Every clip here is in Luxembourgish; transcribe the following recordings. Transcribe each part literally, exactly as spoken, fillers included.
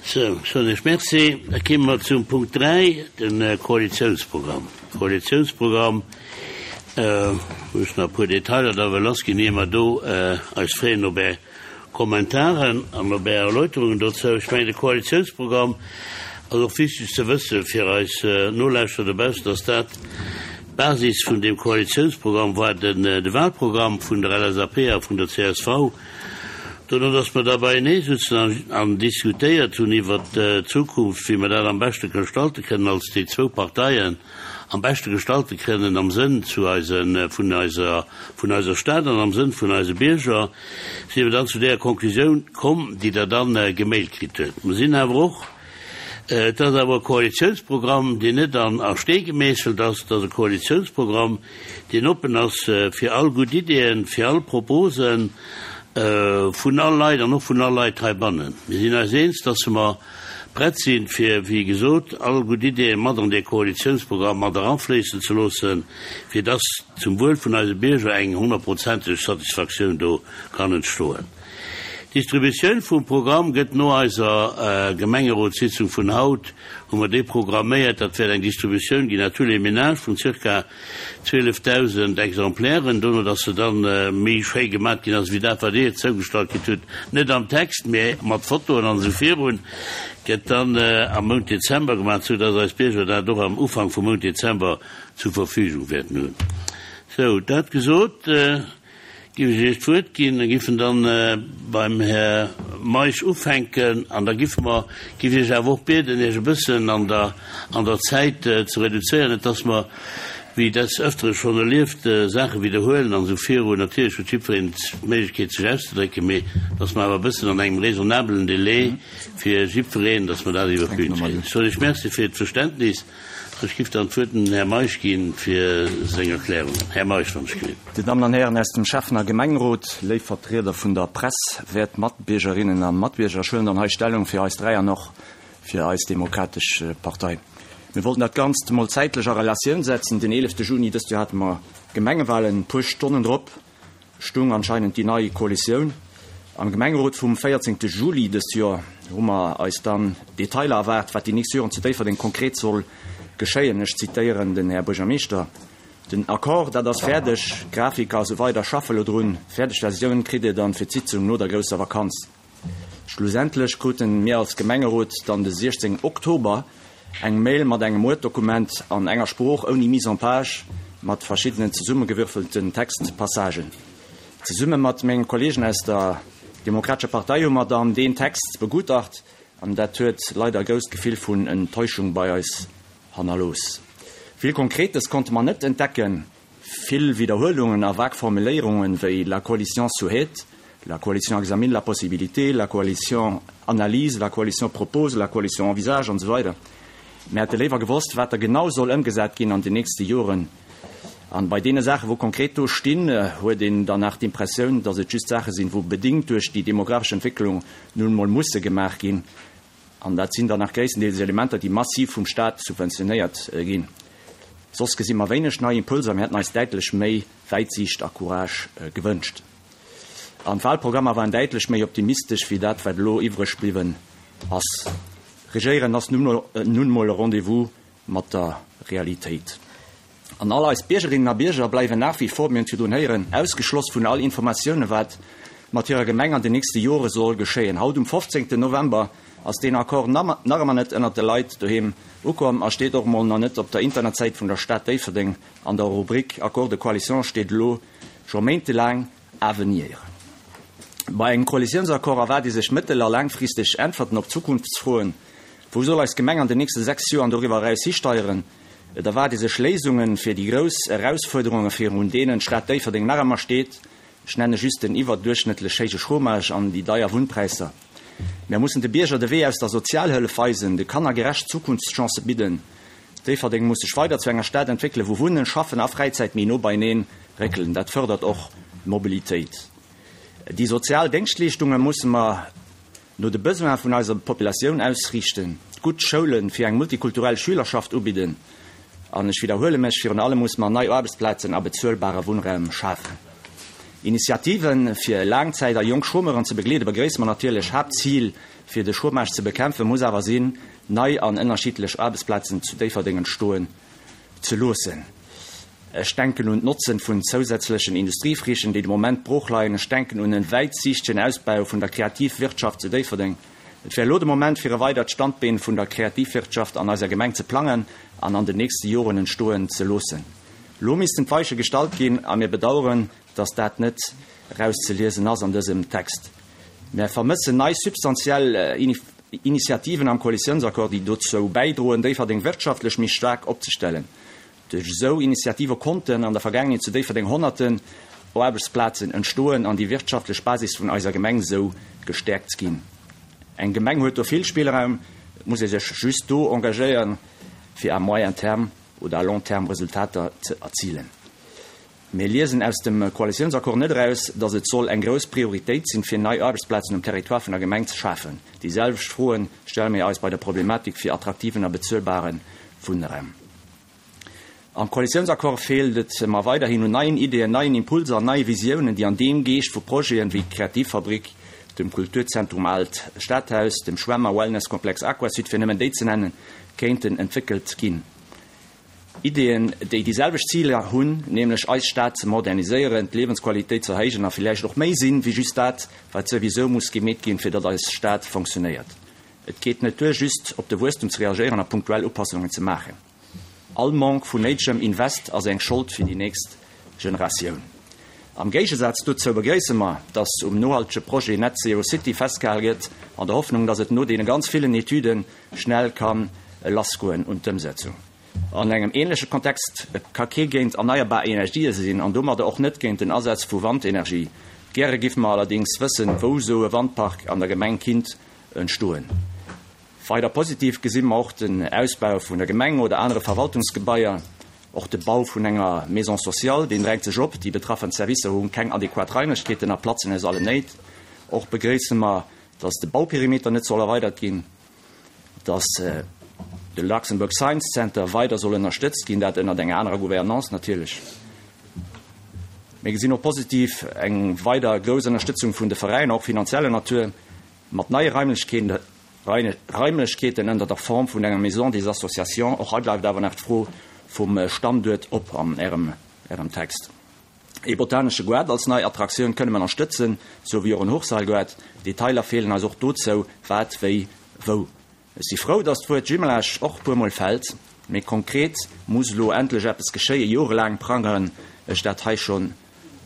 Sou, soen ech Merci. Da komme mer zum Punkt dräi, de Koalitiounsprogramm. Koalitiounsprogramm, wou ech nach e puer Detailer da wëll lassginn, ier mer do eis freeën op Är Kommentaren an op Är Erläuterungen dozou. Ech mengen, de Koalitiounsprogramm ass och wichteg ze wësse fir eis Nolauschterer dobaussen, dass dat d'Basis vun deem Koalitiounsprogramm war, den de Wahlprogramm vun der L S A P a vun der C S V. Dono, dass mer da beienee sutzen an, an diskutéiert hunn iwwert d'Zukunft, wéi mer dat am beschte gestalte kënnen als déi zwou Parteien, am beschte gestalte kënnen am Sënn zu eisen, vun eiser, vun eiser Stad an am Sënn vun eise Bierger, si mer dann zu där Konklusioun komm, déi Der dann gemailt kritt hutt. Mer sinn awer och, et ass awer e Koalitiounsprogramm, deen net an a Stee gemeesselt ass, et ass e Koalitiounsprogramm, deen oppen ass fir all gutt Ideeën, fir all Proposen vun all Leit an och vun all Leit heibannen. Mir sinn eis eens, dass mer prett sinn, fir, wéi gesot, all gutt Ideeë mat an dee Koalitiounsprogramm mat eranfléissen ze loossen, fir dass zum Wuel vun eise Bierger eng honnertprozenteg Satisfaktioun do kann entstoen. D'Distributioun vum Programm gëtt no eiser Gemengerotssitzung vun haut, hu mer déi programméiert. Dat wäert eng Distributioun ginn à tous les ménages vun zirka zwielefdausend Exemplairen, dono dass se dann méi schéi gemat ginn ass wéi dat, wat Dir zougestallt kritt hutt, net am Text, mee mat Fotoen an esou virun, gëtt dann am Mount Dezember gemaach, sou dass eis Bierger dat och am Ufank vum Mount Dezember zur Verfügung wäerten hunn. Sou, dat gesot, giff ech Iech d'Wuert ginn, da giffen dann beim Här Meisch ufänken an da giffe mer, giff ech Iech awer och bieden, Iech e bëssen an der, an der Zäit ze reduzéieren, net dass mer, wéi des Ëftere schonn erlieft, Saache widderhuelen an esou virun. Natierlech huet jiddwereen d'Méiglechkeet sech auszedrécken, mee dass mer awer e bëssen an engem raisonnablen Délai fir jiddwereen, dass mer dat iwwer d'Bün kréien. Ech soen Iech Merci fir d'Verständnis. Ech giff dann d'Wuert dem Här Meisch ginn fir seng Erklärungen. Här Meisch, wann ech gelift. Dir Dammen an Hären aus dem Schäffen a Gemengerot, léif Vertrieder vun der Press, wäert Matbiergerinnen a Matbierger, ech huelen dann hei Stellung fir eis dräi an och fir eis Demokratesch Partei. Mir wollten dat Ganzt emol zäitlech a Relatioun setzen. Den eelefte Juni dëst Joer hate mer Gemengewahlen, e puer Stonnen drop stung anscheinend déi nei Koalitioun. Am Gemengerot vum véierzéngte Juli dëst Joer hu mer eis dann Detailer erwaart, wat déi nächst Joren zu Déifferdeng konkret soll geschéien. Ech zitéieren den Här Buergermeeschter, Den Accord, dat ass fäerdeg, Grafiker a sou weider schaffe lo drun, fäerdeg Versioun kritt Dir dann fir d'Sitzung no der grousser Vakanz. Schlussendlech kruten mir als Gemengerot dann de siechzéngten Oktober eng Mail mat engem Word-Dokument an enger Sprooch ouni Mise en page mat verschiddenen zesummegewürfelten Textpassagen. Zesumme mat menge Kollegen aus der Demokratescher Partei hu mer dann deen Text begutacht an dat huet leider e grousst Gefill vun Enttäuschung bei eis hannerlooss. Vill Konkretes konnte mer net entdecken, vill Widderhuelungen a vag Formuléierungen wéi la coalition souhaite, la coalition examine la possibilité, la coalition analyse, la coalition propose, la coalition envisage an esou weider. Mir hätte léiwer gewosst, wat da genau soll ëmgesat ginn an den nächste Joren. An bei deene Saachen, wou konkret do stinn, huet een dann nach d'Impressioun, datt et just Saache sinn, wou bedéngt duerch déi demografesch Entwécklung nun emol musse gemaach ginn. An dat sinn dann nach gréisstendeels Elementer, déi massiv vum Staat subventionéiert ginn. Soss gesi mer wéineg nei Impulser, mir hätten eis däitlech méi Wäitsiicht a Courage gewënscht. An d'Wahlprogrammer waren däitlech méi optimistesch wéi dat, wat elo iwwreg bliwwen ass. Regéieren ass nun emol e Rendez-vous mat der Realitéit. An all eis Biergerinnen a Bierger bleiwen nach wie vor, mir hunn et virdrun héieren, ausgeschloss vun all Informatiounen, wat mat hirer Gemeng an den nächste Jore soll geschéien. Haut um fofzéngten November ass deen Accord nach ëmmer net ënnert de Leit doheem ukomm a steet och mol nach net op der Internetsäit vun der Stad Déifferdeng. An der Rubrik Accord de coalition steet elo scho méintelaang à venir. Bei engem Koalitiounsaccord erwaart ee sech mëttel a laangfristeg Äntwerten op Zukunftsfroen, Wou soll eis Gemeng an den nächste sechs Joer an doriwwer eraus histeieren? Et erwaart ee sech Léisunge fir déi grouss Erausfuerderunge virun deenen d'Stad Déifferdeng nach ëmmer steet, ech nenne just den iwwerduerchschnëttlech héije Chômage an déi deier Wunnpräisser. Mär mussen de Bierger de Wee aus der Sozialhëllef weisen, de Kanner gerecht Zukunftschancë bidden. Déifferdeng muss sech weider zu enger Stad entwéckelen, wou Wunnen, Schaffen a Fräizäit méi no beieneen réckelen. Dat fërdert och d'Mobilitéit. Déi sozial Déngschtleeschtunge musse mer no de Besoine vun eiser Populatioun ausriichten, gutt Schoule fir eng multikulturell Schülerschaft ubidden an, ech widderhuele mech, virun allem musse mer nei Aarbechtsplazen a bezuelbare Wunnraum schafen. Initiativen fir Laangzäit a jonk Chômeuren ze begleeden, begréisse mer natierlech. Haaptzil fir de Chômage ze bekämpfen muss awer sinn, nei an ënnerschiddlech Aarbechtsplazen zu Déifferdeng entstoen ze loossen. Ech denken un d'Notzen vun zousätzlechen Industriefrichen, déi de Moment brooch leien. Ech denken un en wäitsiichtegen Ausbau vun der Kreativwirtschaft zu Déifferdeng. Et wär elo de Moment fir e weidert Standbeen vun der Kreativwirtschaft an eiser Gemeng ze plangen an an den nächste Joren entstoen ze loossen. Elo missten d'Weiche gestallt ginn a mir bedauern, dass dat net erauszeliesen ass an dësem Text. Mir vermëssen nei substantiell Initiativen am Koalitiounsaccord, déi dozou bäidroen, Déifferdeng wirtschaftlech méi staark opzestellen. Duerch esou Initiative konnten an der Vergaangenheet zu Déifferdeng honnerten Aarbechtsplazen entstoen an déi wirtschaftlech Basis vun eiser Gemeng esou gestäerkt ginn. Eng Gemeng huet do vill Spillraum, et muss ee sech just do engagéieren, fir à moyen terme oder à long terme Resultater ze erzilen. Mir liesen aus dem Koalitiounsaccord net eraus, datt et soll eng grouss Prioritéit sinn, fir nei Aarbechtsplazen um Territoire vun der Gemeng ze schafen. Déi selwecht Froen stelle mir eis bei der Problematik fir attraktiven a bezuelbare Wunnraum. Am Koalitiounsaccord feelt et mer weiderhin un neien Ideeën, neien Impulser an neie Visiounen, déi an deem Geescht vu Projeten wéi d'Kreativfabrik, dem Kulturzentrum Aalt Stadhaus, dem Schwämm a Wellnesskomplex Aquasud, fir nëmmen déi ze nennen, kéinten entwéckelt ginn. Ideeën, déi déi selwecht Ziler hunn, nämlech eis Stad ze moderniséieren, d'Liewensqualitéit ze erhéijen a villäicht och méi sinn, wéi just dat, wat souwisou muss gemeet ginn, fir datt eis Stad fonctionnéiert. Et geet net duer, just op de Wuesstum ze reagéieren a punktuell Upassungen ze maachen. All Manque vun néidegem Invest ass eng Schold fir déi nächst Generatioun. Am Géigesaz dozou begréisse mer, datt um nohaltege Projet Net Zero City festgehal gëtt, an der Hoffnung, datt et no deene ganz villen Etüde schnell ka lassgoen un d'Ëmsetzung. An engem änleche Kontext ka kee géint erneierbar Energië sinn an domadder och net géint den Asaz vu Wandenergie. Gäre géife mer allerdéngs wëssen, wou esou e Wandpark an der Gemeng kinnt entstoen. Weider positiv gesi mer och den Ausbau vun der Gemeng oder anere Verwaltungsgebaier, och de Bau vun enger Maison sociale, deen drängt sech op, déi betraffen Servicer hu keng adequat Raimlechkeeten a platzen aus allen Néit. Och begréisse mer, dass de Bauperimeter net soll erweidert ginn, dass de Luxembourg Science Center weider soll ënnerstëtzt ginn, dat ënnert enger anerer Gouvernance natierlech. Mir gesinn och positiv eng weider grouss Ënnerstëtzung vun de Veräiner, och finanzieller Natur, mat neie Raimlechkeeten Raimlechkeeten ënner der Form vun enger Maison des Associations. Och hei bleift awer nach d'Fro vum Standuert op an Ärem Ärem Text. Ee botanesche Goart als nei Attraktioun kënne mer ënnerstëtzen, sou wéi och en Hochseilgoart. Detailer feelen eis och dozou, wat, wéi, wou. Ech si frou, dass d'Wuert Jumelage och e puermol fält, mee konkret muss elo endlech eppes geschéien. Jorelaang prangeren ech dat hei schonn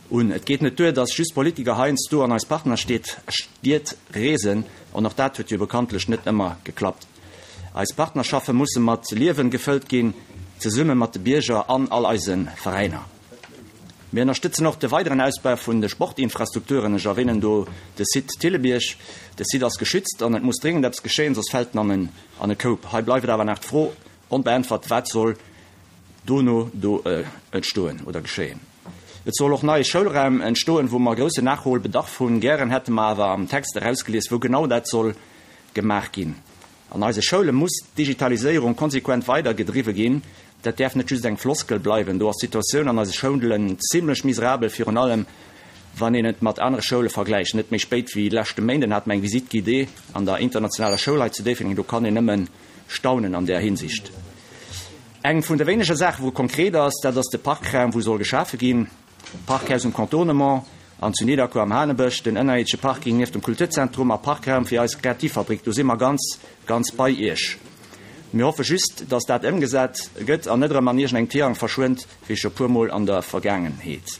un. Et geet net duer, dass just Politiker heiansdo an eis Partnerstied Stied reesen, an och dat huet jo bekanntlech net ëmmer geklappt. Eis Partnerschaffe musse mat Liewen gefëllt ginn, zesumme mat de Bierger an all eise Veräiner. Mir ënnerstëtzen och de weideren Ausbau vun de Sportinfrastrukturen. Ech erwänen do de Site Thillebierg. De Site ass geschützt an et muss dringend eppes geschéien, soss fält en an en an e Koup. Hei bleift awer nach d'Fro onbeäntwert, Wat soll dono do entstoen oder geschéien? Et soll och neie Schoulraum entstoen, wou mer groussen Nachholbedarf hunn. Gären hätte mer awer am Text erausgelies, wou genau dat soll gemaach ginn. An eise Schoule muss d'Digitaliséierung konsequent weider gedriwwe ginn. Dat däerf net just eng Floskel bleiwen. Do ass d'Situatioun an eise Schoulen zimlech miserabel, virun allem wann een et mat anere Schoule vergläicht. Net méi spéit wéi leschte Méinden hate mer eng Visite guidée an der internationaler Schoul hei zu Déifferdeng. Do kann een nëmme staunen an där Hinsicht. Eng vun de wéinege Saachen, wou konkret ass, dat ass de Parkraum, wou soll geschafe ginn. Parkhaus um Contournement an zu Nidderkuer am Hanebësch, den ënnerierdesche Parking nieft dem Kulturzentrum a Parkraum fir eis Kreativfabrik. Do si mer ganz, ganz bei Iech. Mir hoffe just, dass dat ëmgesat gëtt an net erëm an iergendengem Tirang verschwënnt, wéi scho puer Mol an der Vergaangenheet.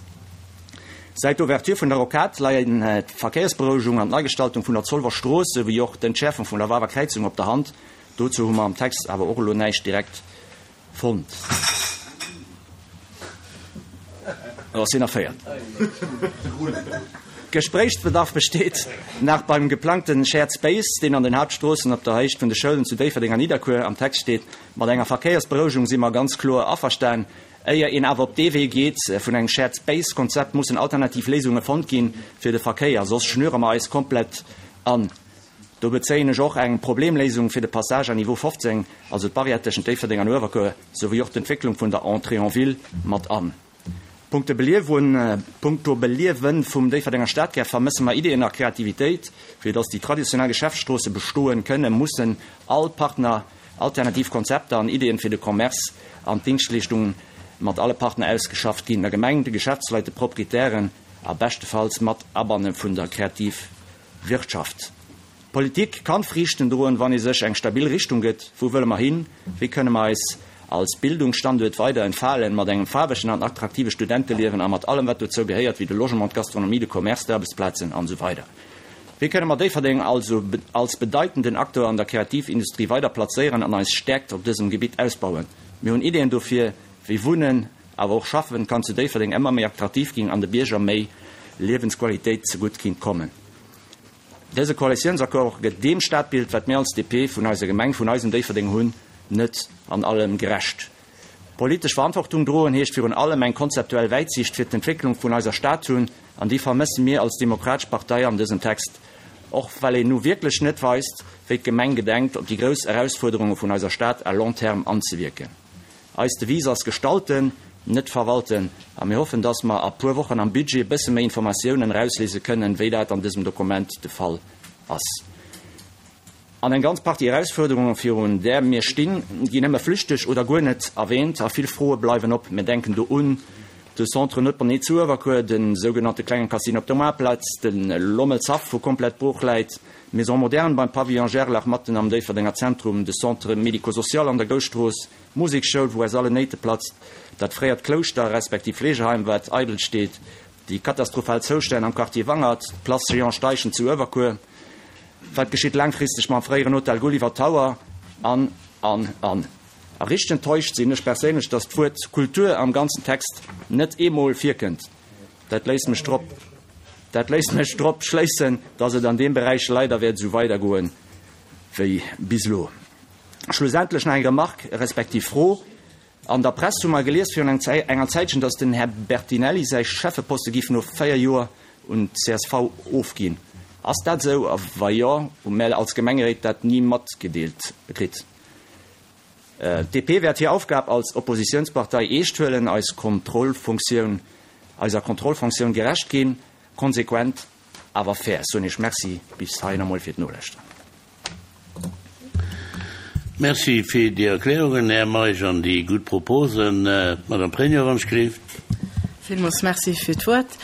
Säit der Ouverture vun der Rocade leien d'Verkéiersberouegung an d'Neigestaltung vun der Zolwer Strooss souwéi och d'Entschäerfung vun der Wawer Kräizung op der Hand. Dozou hu mer am Text awer och elo näischt direkt fonnt. Oh, sinn erféiert. Gespréichsbedarf besteet nach beim geplangte Shared Space, deen an den Haaptstroossen op der Héicht vun de Schoulen zu Déifferdeng an Nidderkuer am Text steet. Mat enger Verkéiersberouegung si mer ganz kloer averstan. Éier een awer op dee Wee geet vun engem Shared Space-Konzept, mussen alternativ Léisunge fonnt ginn fir de Verkéier, soss schnüre mer eis komplett an. Do bezéien ech och eng Problemléisung fir de Passage à niveau fofzéng, also d'Barrière tëschent Déifferdeng an Uewerkuer, souwéi och d'Entwécklung vun der Entrée en ville mat an. Punkto Beliewen, punkto Beliewen vum Déifferdenger Stadkär vermësse mer Ideeën a Kreativitéit, fir dass déi traditionell Geschäftsstroosse bestoen kënnen, mussen all Partner alternativ Konzepter an Ideeën fir de Commerce an d'Dingschtleeschtungen mat alle Partner ausgeschafft ginn, der Gemeng, de Geschäftsleit, de Proprietären a beschtefalls mat Abanne vun der Kreativwirtschaft. Politik kann Friichten droen, wann ee sech eng stabil Richtung gëtt. Wou wëlle mer hin? Wéi kënne mer eis als Bildungsstanduert weider entfalen, mat engem faarwegen an attraktive Studenteliewen a mat allem, wat dozou gehéiert, wéi de Logement, d'Gastronomie, de Commerce, d'Aarbechtsplazen an esou weider. Wéi kënne mer Déifferdeng also als bedeitenden Acteur an der Kreativindustrie weider plazéieren an eis Stäerkt op dësem Gebitt ausbauen? Mir hunn Ideeën dofir, wéi Wunnen, awer och Schaffen kann zu Déifferdeng ëmmer méi attraktiv ginn an de Bierger méi Liewensqualitéit zegutt kinnt kommen. Dëse Koalitiounsaccord gëtt deem Stadbild, wat mir als D P vun eiser Gemeng, vun eisem Déifferdeng hunn, net an allem gerecht. Politesch Verantwortung droen heescht virun allem eng konzeptuell Wäitsiicht fir d'Entwécklung vun eiser Stad hunn, an déi vermësse mir als Demokratesch Partei an dësem Text, och well een nu wierklech net weist, wéi d'Gemeng gedenkt, op déi grouss Erausfuerderunge vun eiser Stad à long terme anzewierken. Eis Devise ass gestalten, net verwalten, a mir hoffen, dass mer a puer Wochen am Budget e bësse méi Informatiounen erausliese kënnen, wéi dat an dësem Dokument de Fall ass. An eng ganz Partie Erausfuerderungen, virun där mir stinn, ginn nëmme flüchteg oder guer net erwähnt a vill Froe bleiwen op. Mir denken do un de Centre Notebourné zu Uewerkuer, de sougenannte klenge Casino op der Moartplaz, de Lommelshaff, wou komplett brooch läit, d'Maison moderne beim Pavillon Gerlach matten am Déifferdenger Zentrum, de Centre médico-social an der Gousstrooss, d'Musekschoul, wou aus allen Néite platzt, dat fréiert Klouschter respektiv Fleegeheim, wat eidel steet, déi katastrophal Zoustänn am Quartier Wangert, d'Place Jean Steichen zu Uewerkuer, wat geschitt laangfristeg mam fréieren Hotel Gulliver Tower an, an, an. A richteg enttäuscht sinn ech perséinlech, dass d'Wuert Kultur am ganzen Text net eemol virkënnt. Dat léisst mech drop, dat léisst mech drop schléissen, dass et an deem Beräich leider wäert esou weidergoen wéi bis elo. Schlussendlech nach eng Remarque respektiv Fro. An der Press hu mer gelies virun enger Zäitchen, dass den Här Bertinelli säi Schäffeposte giff no véier Joer un d'C S V ofginn. Ass dat esou a wa jo, hu mär als Gemengeréit dat ni matgedeelt kritt? D P wäert hir Aufgab als Oppositiounspartei eescht huelen, eis Kontrollfunktioun, eiser Kontrollfunktioun gerecht ginn, konsequent awer fair. Soen Iech Merci bis heihin emol fir d'Nolauschteren. Merci fir déi Erklärungen, Här Meisch, an déi gutt Proposen. Madame Pregno, wann ech gelift. Villmools Merci fir d'Wuert.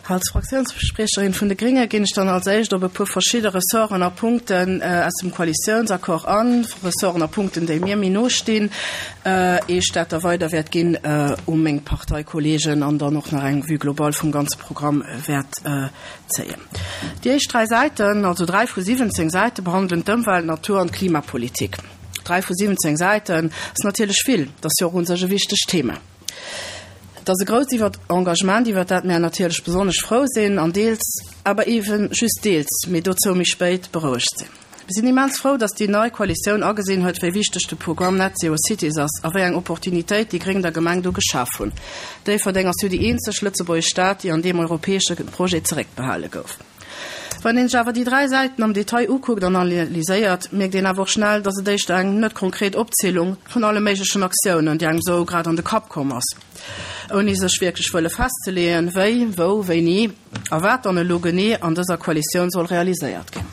Als Fraktiounsspriecherin vun de Grénge ginn ech dann als éischt op e puer verschidde Ressorten a Punkten aus dem Koalitiounsaccord an, Ressorten a Punkten, déi mir méi no stinn, ier ech dat da weider wäert ginn u meng Parteikollegen an dann och nach eng Vue globale vum ganze Programm wäert zéien. Déi éischt dräi Säiten, also dräi vu siwwenzéng Säite behandelen d'Ëmwelt-, Natur an Klimapolitik. Dräi vu siwwenzéng Säiten ass natierlech vill, dat ass jo och un sech e wichtegt Thema. Et ass e grousst iwwer Engagement, iwwer dat mir natierlech besonnesch frou sinn an deels, awer eben just deels, mee dozou méi spéit, berouegt sinn. Mir sinn immens frou, dass déi nei Koalitioun agesinn huet, wéi wichteg de Programm Net Zero Cities ass a wéi eng Opportunitéit déi Gréng der Gemeng do geschaf hunn. Déifferdeng ass jo déi eenzeg lëtzebuergesch Stad, déi an deem europäesche Projet zeréckbehale gouf. Wann een sech awer déi dräi Säiten am Detail ukuckt an analyséiert, mierkt een awer och schnell, dass et éischter eng net konkret Opzielung vun alle méiglechen Aktiounen, déi engem sou grad an de Kapp komm ass, ouni sech wierklech wëlle festzeleeën, wéi, wou, wéini a wat dann elo genee an dëser Koalitioun soll realiséiert ginn.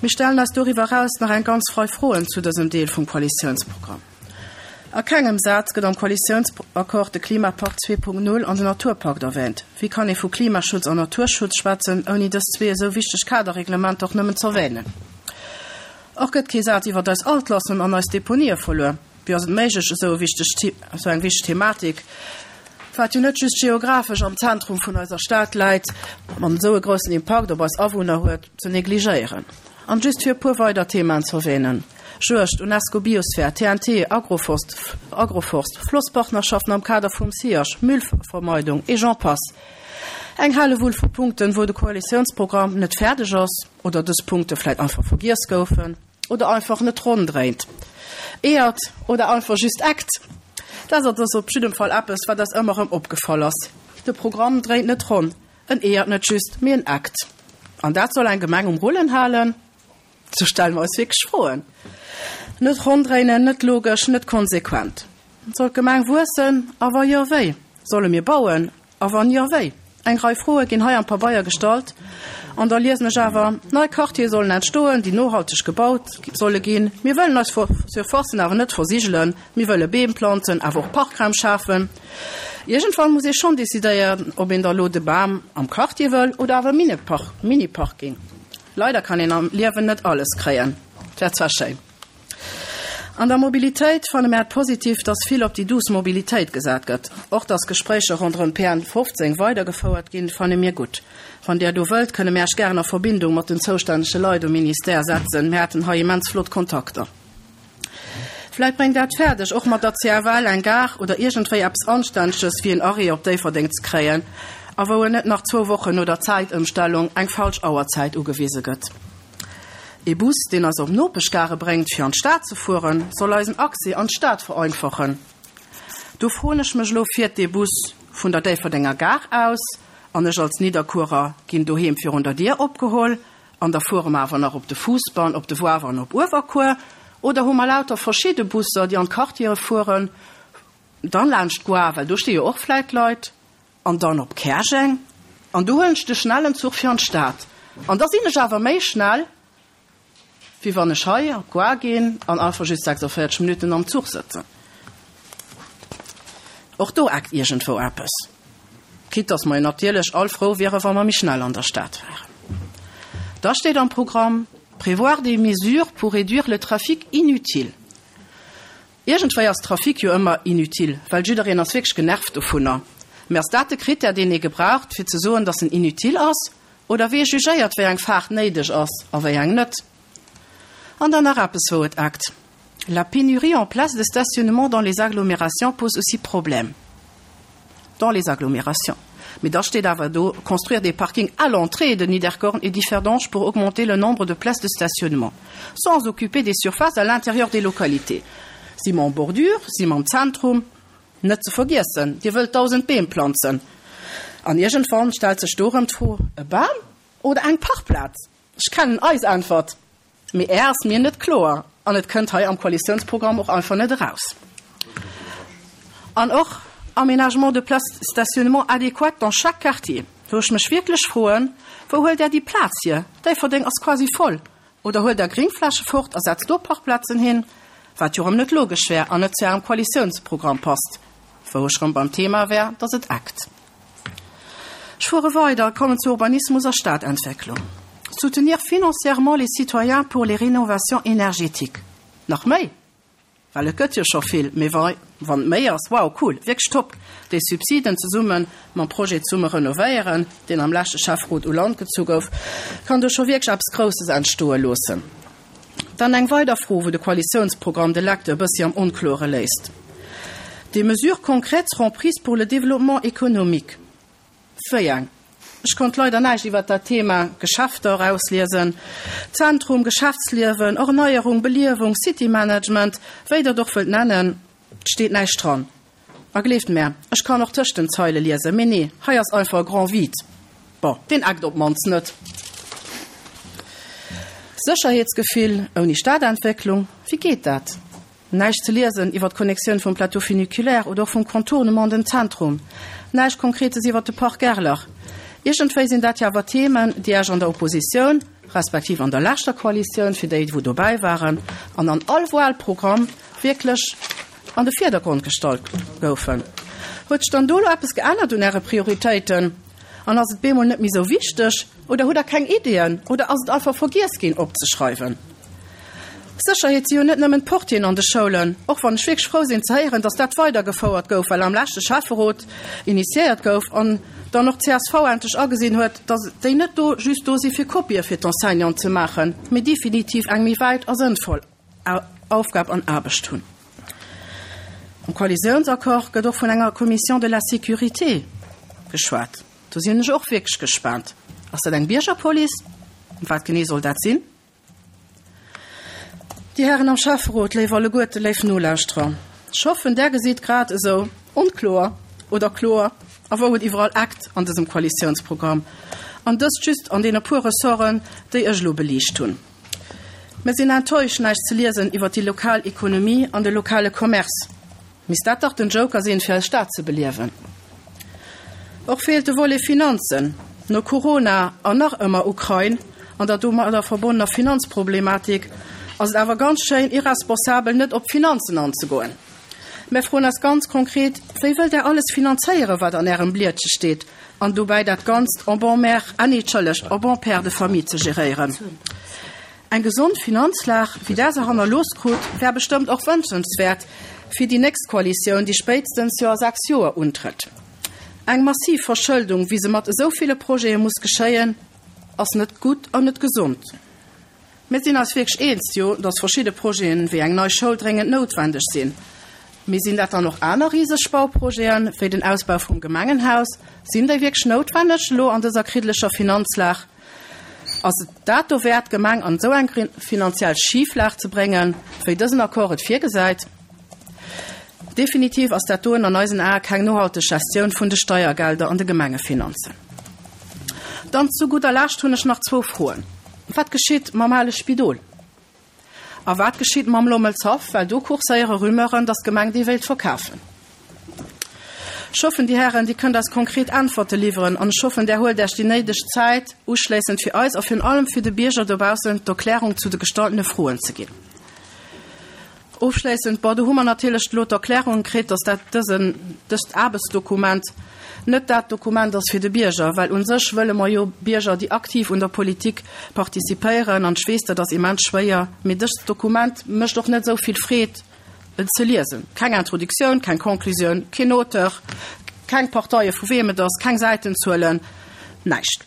Mir stellen eis doriwwer eraus nach eng ganz Rei Froen zu dësem Deel vum Koalitiounsprogramm. A kengem Saz gëtt am Koalitiounsaccord de Klimapakt zwee Punkt null an den Naturpakt erwähnt. Wéi kann ee vu Klimaschutz an Naturschutz schwätzen, ouni dës zwee esou wichteg Kaderreglementer och nëmmen z'erwähnen? Och gëtt kee Saz iwwer eis Altlasten an eis Deponië verluer. Wéi ass et méiglech, esou e wichteg, esou eng wichteg Thematik, wat jo net just geographesch am Zentrum vun eiser Stad läit, an esou e groussen Impakt op eis Awunner huet, ze negligéieren? An just fir e puer weider Themaen z'erwähnen, Juegd, UNESCO Biosphär, T N T, Agroforst, Agroforst, Flosspartnerschaften am Kader vum SIAG, Müllvermeidung et j'en passe. Eng Hellewull vu Punkten, wou de Koalitiounsprogramm net fäerdeg ass oder dës Punkte vläit einfach vergiess goufen oder einfach net ronn dréint. Eeërt oder einfach just eckt. Dat ass op jidde Fall eppes, wat eis ëmmer erëm opgefall ass. De Programm dréint net ronn, en eeërt net just, mee en eckt. An dat soll eng Gemeng um Rullen halen? Do stelle mer eis wierklech Froen. Net ronn dréinen, net logesch, net konsequent. Soll d'Gemeng wuessen, a wa jo, wéi? Solle mir bauen? A wann jo, wéi? Eng Rei Froe ginn hei am Pabeier gestallt an da liesen ech awer, Nei Quartiere sollen entstoen, déi nohalteg gebaut solle ginn. Mir wëllen eis Surfacen awer net versigelen. Mir wëlle Beem planzen, awer och Parkraum schafen. Iergendwann muss ee schonn decidéieren, ob een da lo de Bam am Quartier wëll oder awer Mini-Parking. Leider kann een am Liewen net alles kréien. Et wär zwar schéin. An der Mobilitéit fanne mär et positiv, dass vill op déi douce Mobilitéit gesat gëtt. Och dass Gespréicher ronderëm P N fofzéng weidergefouert ginn, fanne mir gutt. Wann Där do wëllt, kënne mär Iech gären a Verbindung mat den zoustännege Leit um Ministère setzen. Mär haten hei immens flott Kontakter. Vläit bréngt Der et fäerdeg, och mat der C F L eng Gare oder iergendwéi eppes Anstänneges wéi en Arrêt op Déifferdeng ze kréien, a wou en net nach zwou Wochen no der Zäitëmstellung eng falsch Auerzäit ugewise gëtt. Ee Bus, deen eis op Nopeschgare bréngt, fir an d'Stad ze fueren, soll eisen Accès an d'Stad vereinfachen. Do froen ech mech elo, Fiert dee Bus vun der Déifferdenger Gare aus an ech als Nidderkuerer ginn doheem virun der Dier opgeholl an da fuere mer awer nach op de Fousbann, op de Woawer an op Uewerkuer? Oder hu mer lauter verschidde Busser, déi an d'Quartiere fueren, dann laanscht d'Goar, well do sti jo och vläit Leit, an dann op Käerjeng an do huelen ech de schnellen Zuch fir an d'Stad an da sinn ech awer méi schnell, wéi wann ech hei op d'Goar ginn an einfach just sechsundvierzig Minutten am Zuch sëtzen. Och do eckt iergendwou eppes. Quitte dass mer jo natierlech all frou wiere wa mer méi schnell an der Stad wären. Da steet am Programm, prévoir des mesures pour réduire le trafic inutile. Iergendwéi ass Trafic jo ëmmer inutile, well jiddereen ass wierklech genervt dovunner. Mä ass dat de Critère, deen ee gebraucht, fir ze soen, dass en inutile ass? Oder wee jugéiert, wéi eng Faart néideg ass a wéi eng net? An dann nach eppes, wou et eckt. La pénurie en places de stationnement dans les agglomérations pose aussi problème. Dans les agglomérations. Mee da steet awer do, construire des parkings à l'entrée de Niederkorn et Differdange pour augmenter le nombre de places de stationnement, sans occuper des surfaces à l'intérieur des localités. Si mer en bordure, si mer am Zentrum? Net ze vergiessen, Dir wëllt dausend Beem planzen. An iergendwann stellt sech do erëm d'Fro, e Bam oder eng Parkplaz? Ech kennen eis Äntwert, mee är ass mir net kloer an et kënnt hei am Koalitiounsprogramm och einfach net eraus. An och Aménagement de places de stationnement adéquates dans chaque quartier, wou ech mech wierklech froen, Wou huelt Där déi Plaz hier? Déifferdeng ass quasi voll. Oder huelt Der Gringfläche fort a setzt do Parkplazen hin? Wat jo erëm net logesch wär an net zu Ärem Koalitiounsprogramm passt, wou ech erëm beim Thema wär, dass et eckt. Ech fuere weider, kommen zu Urbanismus a Stadentwécklung. Soutenir financièrement les citoyens pour les rénovations énergétiques. Nach méi? Well et gëtt jo scho vill, mee wa wann et méi ass, wow, cool, wierklech top, déi Subsiden zesumme mam Projet Zesumme renovéieren, deen am leschte Schäfferot u Land gezu gouf, kann do scho wierklech eppes Grousses entstoe loossen. Dann eng weider Fro, wou de Koalitiounsprogramm de Lecteur e bëssi am Onklore léisst, Des mesures concrètes seront prises pour le développement économique. Wéi eng? Ech konnt leider näischt iwwert dat Thema Geschäfter erausliesen. Zentrum, Geschäftsliewen, Erneierung, Beliewung, City-Management, wéi Der et och wëllt nennen, et steet näischt dran. A gleeft mär, ech kann och tëscht den Zeile liesen, mee nee, hei ass einfach e grand vide. Bon, deen eckt op d'mannst net. Sécherheetsgefill ouni Stadentwécklung, wéi geet dat? Näischt ze liesen iwwer d'Connexioun vum Plateau funiculaire oder och vum Contournement an den Zentrum. Näischt Konkretes iwwer de Parc Gerlach. Iergendwéi sinn dat jo awer Themen, déi Iech an der Oppositioun, respektiv an der leschter Koalitioun, fir déi, wou dobäi waren, an an all Wahlprogramm wierklech an de Virdergrond gestallt goufen. Huet sech dann do elo eppes geännert un Äre Prioritéiten an ass et bemol net méi esou wichteg oder hutt Der keng Ideeën oder ass et einfach vergiess ginn opzeschreiwen? Sécherheet si jo net nëmmen d'Portieren an de Schoulen, och wann ech wierklech frou sinn ze héieren, datt dat weidergefouert gouf, well am leschte Schäfferot initiéiert gouf an dann och d'C S V endlech agesinn huet, datt déi net do just do si fir Kopië fir d'Enseignanten ze maachen, mee definitiv eng méi wäit a sënnvoll Aufgab an Aarbecht hunn. Am Koalitiounsaccord gëtt och vun enger Commission de la sécurité geschwat. Do sinn ech och wierklech gespaant. Ass dat eng Biergerpolice? Wat genee soll dat sinn? Dir Hären am Schäfferot, léif alleguerte, léif Nolauschterer, ech hoffen, Der gesitt grad esou onkloer oder kloer, a wou et iwwerall eckt an dësem Koalitiounsprogramm, an dëst just an deene puer Ressorten, déi ech elo beliicht hunn. Mir sinn enttäuscht, näischt ze liesen iwwert déi lokal Ekonomie an de lokale Commerce. Misst dat dach den Joker sinn, fir eis Stad ze beliewen. Och feelt de Volet Finanzen. No Corona an nach ëmmer Ukrain an der domadder verbonnener Finanzproblematik ass et awer ganz schéin irresponsabel, net op d'Finanzen anzegoen. Mär froen eis ganz konkret, Wéi wëllt Der alles finanzéieren, wat an Ärem Blietche steet, an dobäi dat Ganzt en bon mère, ah nee, entschëllegt, en bon père de famille ze geréieren? Eng gesond Finanzlag, wéi Der se hannerlooss krut, wär bestëmmt och wënschenswäert fir déi nächst Koalitioun, déi spéitstens jo a sechs Joer untrëtt. Eng massiv Verschëldung, wéi se mat esou ville Projete muss geschéien, ass net gutt an net gesond. Mir sinn eis wierklech eens, jo, dass verschidde Projeten, wéi eng nei Schoul, dréngend noutwendeg sinn. Mee sinn dat dann och aner riseg Bauprojeten, wéi den Ausbau vum Gemengenhaus? Sinn déi wierklech noutwendeg elo an dëser kriddeleger Finanzlag? Ass et dat dowäert, d'Gemeng an esou eng finanziell Schiflag ze bréngen, wéi dësen Accord et virgesäit? Definitiv ass dat doen an eisen Ae keng nohalteg Gestioun vun de Steiergelder an de Gemengefinanzen. Dann zu gudder Lescht hunn ech nach zwou Froen. Wat geschitt mam ale Spidol? A wat geschitt mam Lommelshaff, well do kurséiere Rumeuren, datt d'Gemeng dee wéilt verkafen? Ech hoffen, Dir Hären, Dir kënnt eis konkret Äntwerte liwweren an ech hoffen, Der huelt Iech déi néideg Zäit, uschléissend fir eis a virun allem fir de Bierger dobaussen d'Erklärung zu de gestalltene Froen ze ginn. Ofschléissend, bon, do hu mer natierlech elo d'Erklärung kritt, dass dat dësen, dëst Aarbechtsdokument net dat Dokument ass fir de Bierger, well u sech wëlle mer jo Bierger, déi aktiv un der Politik participéieren. An ech weess, dat ass immens schwéier, mee dëst Dokument mécht och net esou vill Freed, et ze liesen. Keng Introduktioun, keng Conclusioun, keen Auteur, keng Parteie vu weem et ass, keng Säitenzuelen, näischt.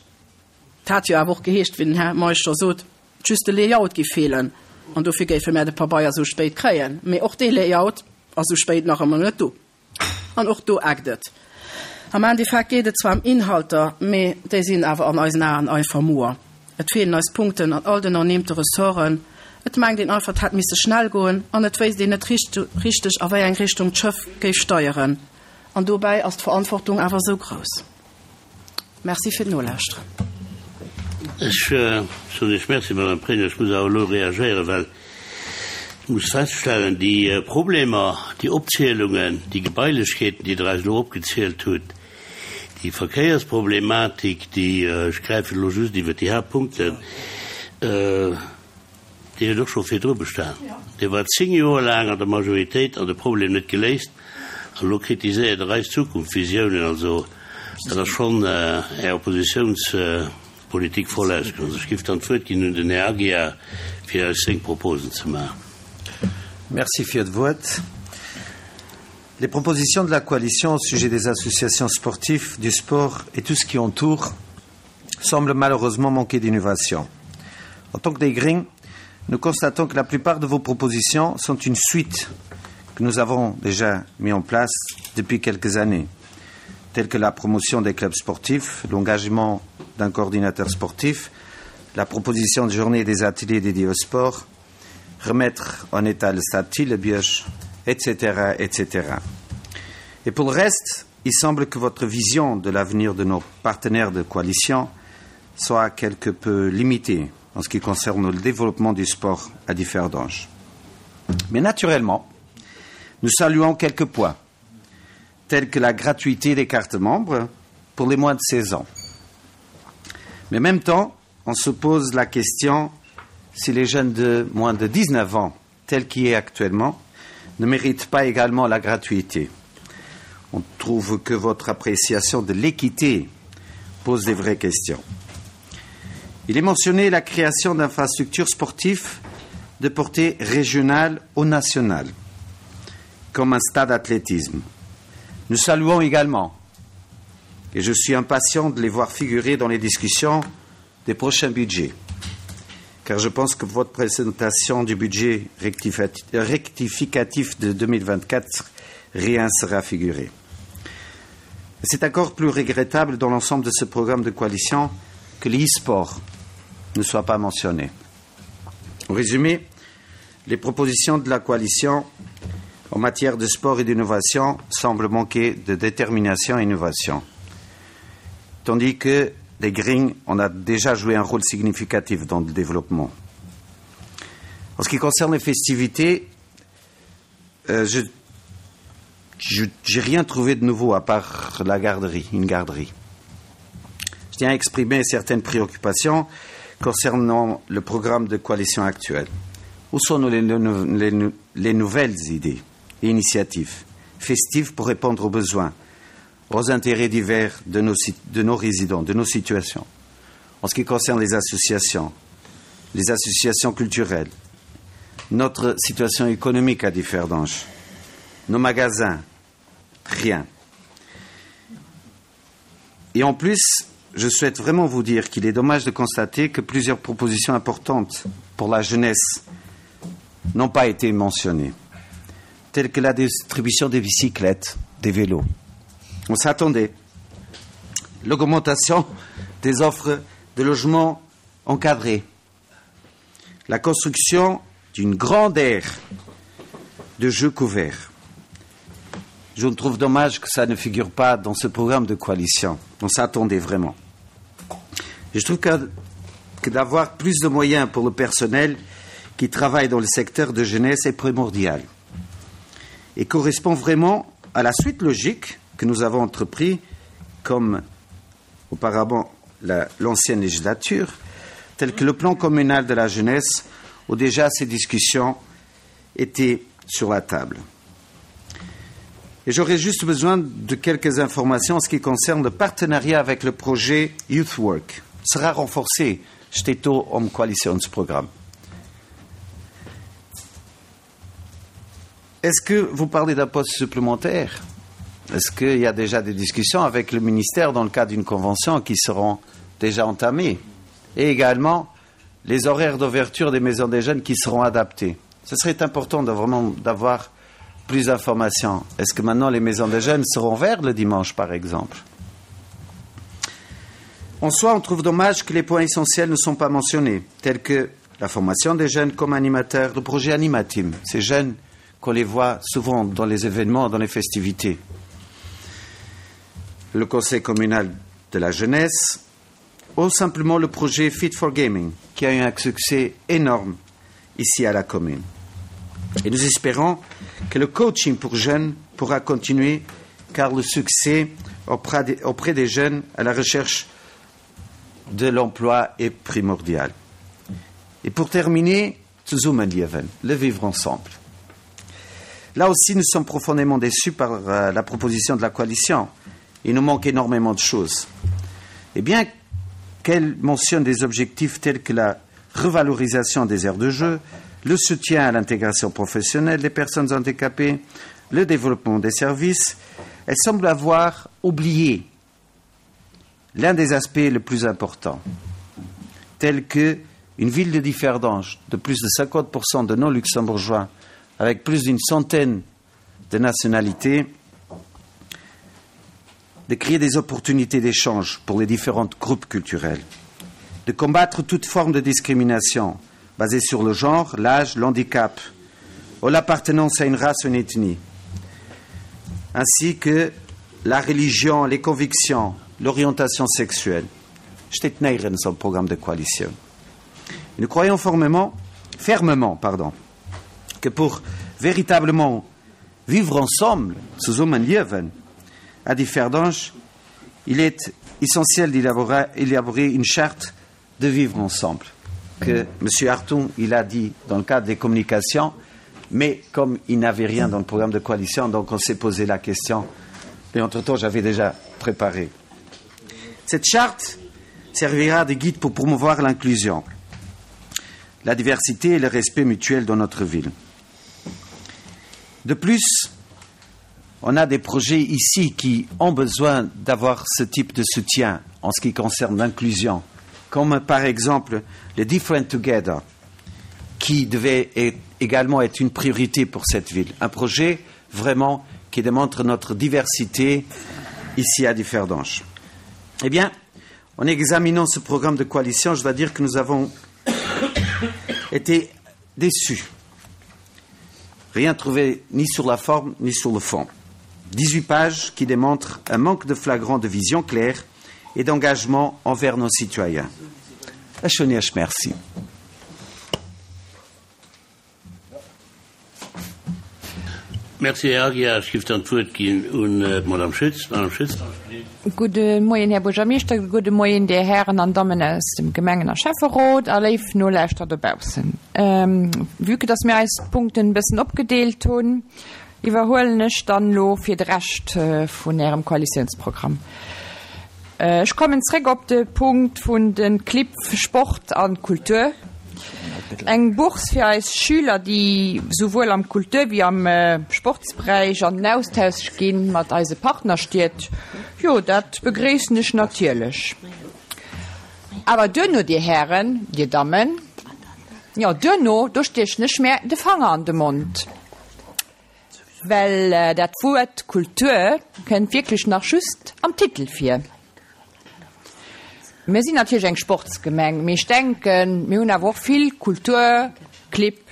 Et hat jo awer och geheescht, wéi den Här Meisch scho sot, just de Layout géif feelen an dofir géife mär de Pabeier esou spéit kréien. Mee och dee Layout ass esou spéit nach ëmmer net do. An och do eckt et. Am Endeffekt geet et zwar ëm Inhalter, mee déi sinn awer an eisen Aen einfach moer. Et feelen eis Punkten an all den ernimmte Ressorten. Et mengt een einfach, et hätt misse schnell goen an et wéisst een net richteg, a wéi eng Richtung d'Schëff géif steieren. An dobäi ass d'Verantwortung awer esou grouss. Merci fir d'Nolauschteren. Ech soen Iech Merci, Madame Pregno. Ech muss awer elo reagéieren, well ech muss feststellen, déi Problemer, déi Opzielungen, déi Gebailechkeeten, déi Der eis elo opgezielt hutt, déi Verkéiersproblematik, déi, ech gräifen elo just iwwert déi Haaptpunkten, déi huet och scho virdru bestan. Dir waart zéng Joer laang an der Majoritéit an de Problem net geléist. An elo kritiséiert Der eis Zukunftsvisiounen. Also dat ass schonn Är Oppositiounspolitik voll ausgenotzt. Ech géif dann d'Wuert ginn un den Här Aguiar, fir eis seng Proposen ze maachen. Merci fir d'Wuert. Les propositions de la coalition au sujet des associations sportives, du sport et tout ce qui entoure semblent malheureusement manquer d'innovation. En tant que déi Gring, nous constatons que la plupart de vos propositions sont une suite que nous avons déjà mis en place depuis quelques années, telles que la promotion des clubs sportifs, l'engagement d'un coordinateur sportif, la proposition de journée des ateliers dédiés au sport, remettre en état le stade Thillebioche, etc., etc. Et pour le reste, il semble que votre vision de l'avenir de nos partenaires de coalition soit quelque peu limitée en ce qui concerne le développement du sport à Differdange. Mais naturellement, nous saluons quelques points, tels que la gratuité des cartes membres pour les moins de seize ans. Mais en même temps, on se pose la question si les jeunes de moins de dix-neuf ans, tels qu'il est actuellement, ne méritent pas également la gratuité. On trouve que votre appréciation de l'équité pose des vraies questions. Il est mentionné la création d'infrastructures sportives de portée régionale ou nationale, comme un stade d'athlétisme. Nous saluons également, et je suis impatient de les voir figurer dans les discussions des prochains budgets, car je pense que votre présentation du budget rectificatif de deux mille vingt-quatre, rien sera figuré. C'est encore plus regrettable dans l'ensemble de ce programme de coalition que l'e-sport ne soit pas mentionné. En résumé, les propositions de la coalition en matière de sport et d'innovation semblent manquer de détermination et innovation, tandis que les Greens en a déjà joué un rôle significatif dans le développement. En ce qui concerne les festivités, euh, je J'ai rien trouvé de nouveau à part la garderie, une garderie. Je tiens à exprimer certaines préoccupations concernant le programme de coalition actuel. Où sont les, les, les nouvelles idées et initiatives festives pour répondre aux besoins, aux intérêts divers de nos, de nos résidents, de nos situations? En ce qui concerne les associations, les associations culturelles, notre situation économique à Differdange, nos magasins, rien. Et en plus, je souhaite vraiment vous dire qu'il est dommage de constater que plusieurs propositions importantes pour la jeunesse n'ont pas été mentionnées, telles que la distribution des bicyclettes, des vélos. On s'attendait. L'augmentation des offres de logements encadrés, la construction d'une grande aire de jeux couverts. Je trouve dommage que ça ne figure pas dans ce programme de coalition. On s'attendait vraiment. Je trouve que, que d'avoir plus de moyens pour le personnel qui travaille dans le secteur de jeunesse est primordial et correspond vraiment à la suite logique que nous avons entrepris comme auparavant l'ancienne législature, telle que le plan communal de la jeunesse où déjà ces discussions étaient sur la table. Et j'aurais juste besoin de quelques informations en ce qui concerne le partenariat avec le projet Youth Work sera renforcé steet do am Koalitiounsprogramm. Est-ce que vous parlez d'un poste supplémentaire? Est-ce qu'il y a déjà des discussions avec le ministère dans le cadre d'une convention qui seront déjà entamées? Et également les horaires d'ouverture des maisons des jeunes qui seront adaptés. Ce serait important de vraiment d'avoir plus d'informations. Est-ce que maintenant les maisons des jeunes seront ouvertes le dimanche, par exemple? En soi, on trouve dommage que les points essentiels ne sont pas mentionnés, tels que la formation des jeunes comme animateurs, le projet Animateam, ces jeunes qu'on les voit souvent dans les événements, dans les festivités. Le conseil communal de la jeunesse ou simplement le projet Fit for Gaming, qui a eu un succès énorme ici à la commune. Et nous espérons que le coaching pour jeunes pourra continuer, car le succès auprès des, auprès des jeunes à la recherche de l'emploi est primordial. Et pour terminer, Zusammenleben, le vivre ensemble. Là aussi, nous sommes profondément déçus par euh, la proposition de la coalition. Il nous manque énormément de choses. Et bien qu'elle mentionne des objectifs tels que la revalorisation des aires de jeu, le soutien à l'intégration professionnelle des personnes handicapées, le développement des services, elle semble avoir oublié l'un des aspects les plus importants, tel que une ville de Differdange de plus de cinquante pour cent de non-luxembourgeois, avec plus d'une centaine de nationalités, de créer des opportunités d'échange pour les différents groupes culturels, de combattre toute forme de discrimination basée sur le genre, l'âge, l'handicap ou l'appartenance à une race ou une ethnie, ainsi que la religion, les convictions, l'orientation sexuelle. Steet néierens am Programme de coalition. Nous croyons fermement, fermement pardon, que pour véritablement vivre ensemble, zesummeliewen, à Differdange, il est essentiel d'élaborer une charte de vivre ensemble que M. Hartung il a dit dans le cadre des communications, mais comme il n'avait rien dans le programme de coalition, donc on s'est posé la question. Et entre-temps, j'avais déjà préparé. Cette charte servira de guide pour promouvoir l'inclusion, la diversité et le respect mutuel dans notre ville. De plus, on a des projets ici qui ont besoin d'avoir ce type de soutien en ce qui concerne l'inclusion, comme par exemple le Different Together, qui devait également être une priorité pour cette ville. Un projet vraiment qui démontre notre diversité ici à Differdange. Eh bien, en examinant ce programme de coalition, je dois dire que nous avons été déçus. Rien trouvé ni sur la forme ni sur le fond. dix-huit pages qui démontrent un manque de flagrant de vision claire et d'engagement envers nos citoyens. Ech soen Iech Merci. Merci, Här Aguiar. Ech géif dann d'Wuert ginn un d'Madame Schütz. Madame Schütz. Gudde Moien, Här Buergermeeschter, gudde Moien, Dir Hären an Dammen aus dem Gemengen a Schäfferot a léif Nolauschterer dobaussen. Vue que dass mir eis d'Punkten e bëssen opgedeelt hunn, iwwerhuelen ech dann elo fir de Rescht vun Ärem Koalitiounsprogramm. Ech kommen zréck op de Punkt vun de Clibb Sport a Kultur. Eng Bourse fir eis Schüler, déi souwuel am Kultur wéi am Sportsberäich an den Austausch gi mat eise Partnerstied, jo, dat begréissen ech natierlech. Awer duerno, Dir Hären, Dir Dammen, jo, duerno, do stiechen ech mär de Fanger an de Mond, well dat Wuert Kultur kënnt wierklech nach just am Titel vir. Mir sinn natierlech eng Sportsgemeng, mee ech denken, mir hunn awer och vill Kulturclibb,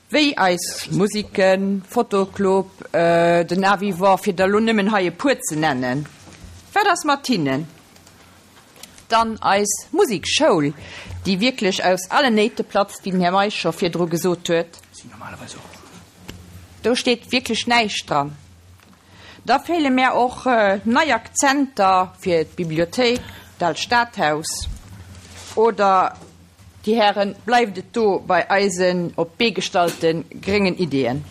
wéi eis Musiken, Fotoclub, den Art Vivant, fir der elo nëmmen hei e puer ze nennen. Wat ass mat hinnen? Dann eis Musekschoul, déi wierklech aus allen Néite platzt, wéi den Här Meisch scho virdru gesot huet. Do steet wierklech näischt dran. Da feele mär och nei Akzenter fir d'Bibliothéik, d'Aalt Stadhaus. Oder, Dir Hären, bleift et do bei eisen op d'Bee gestallte gréngen Ideeën?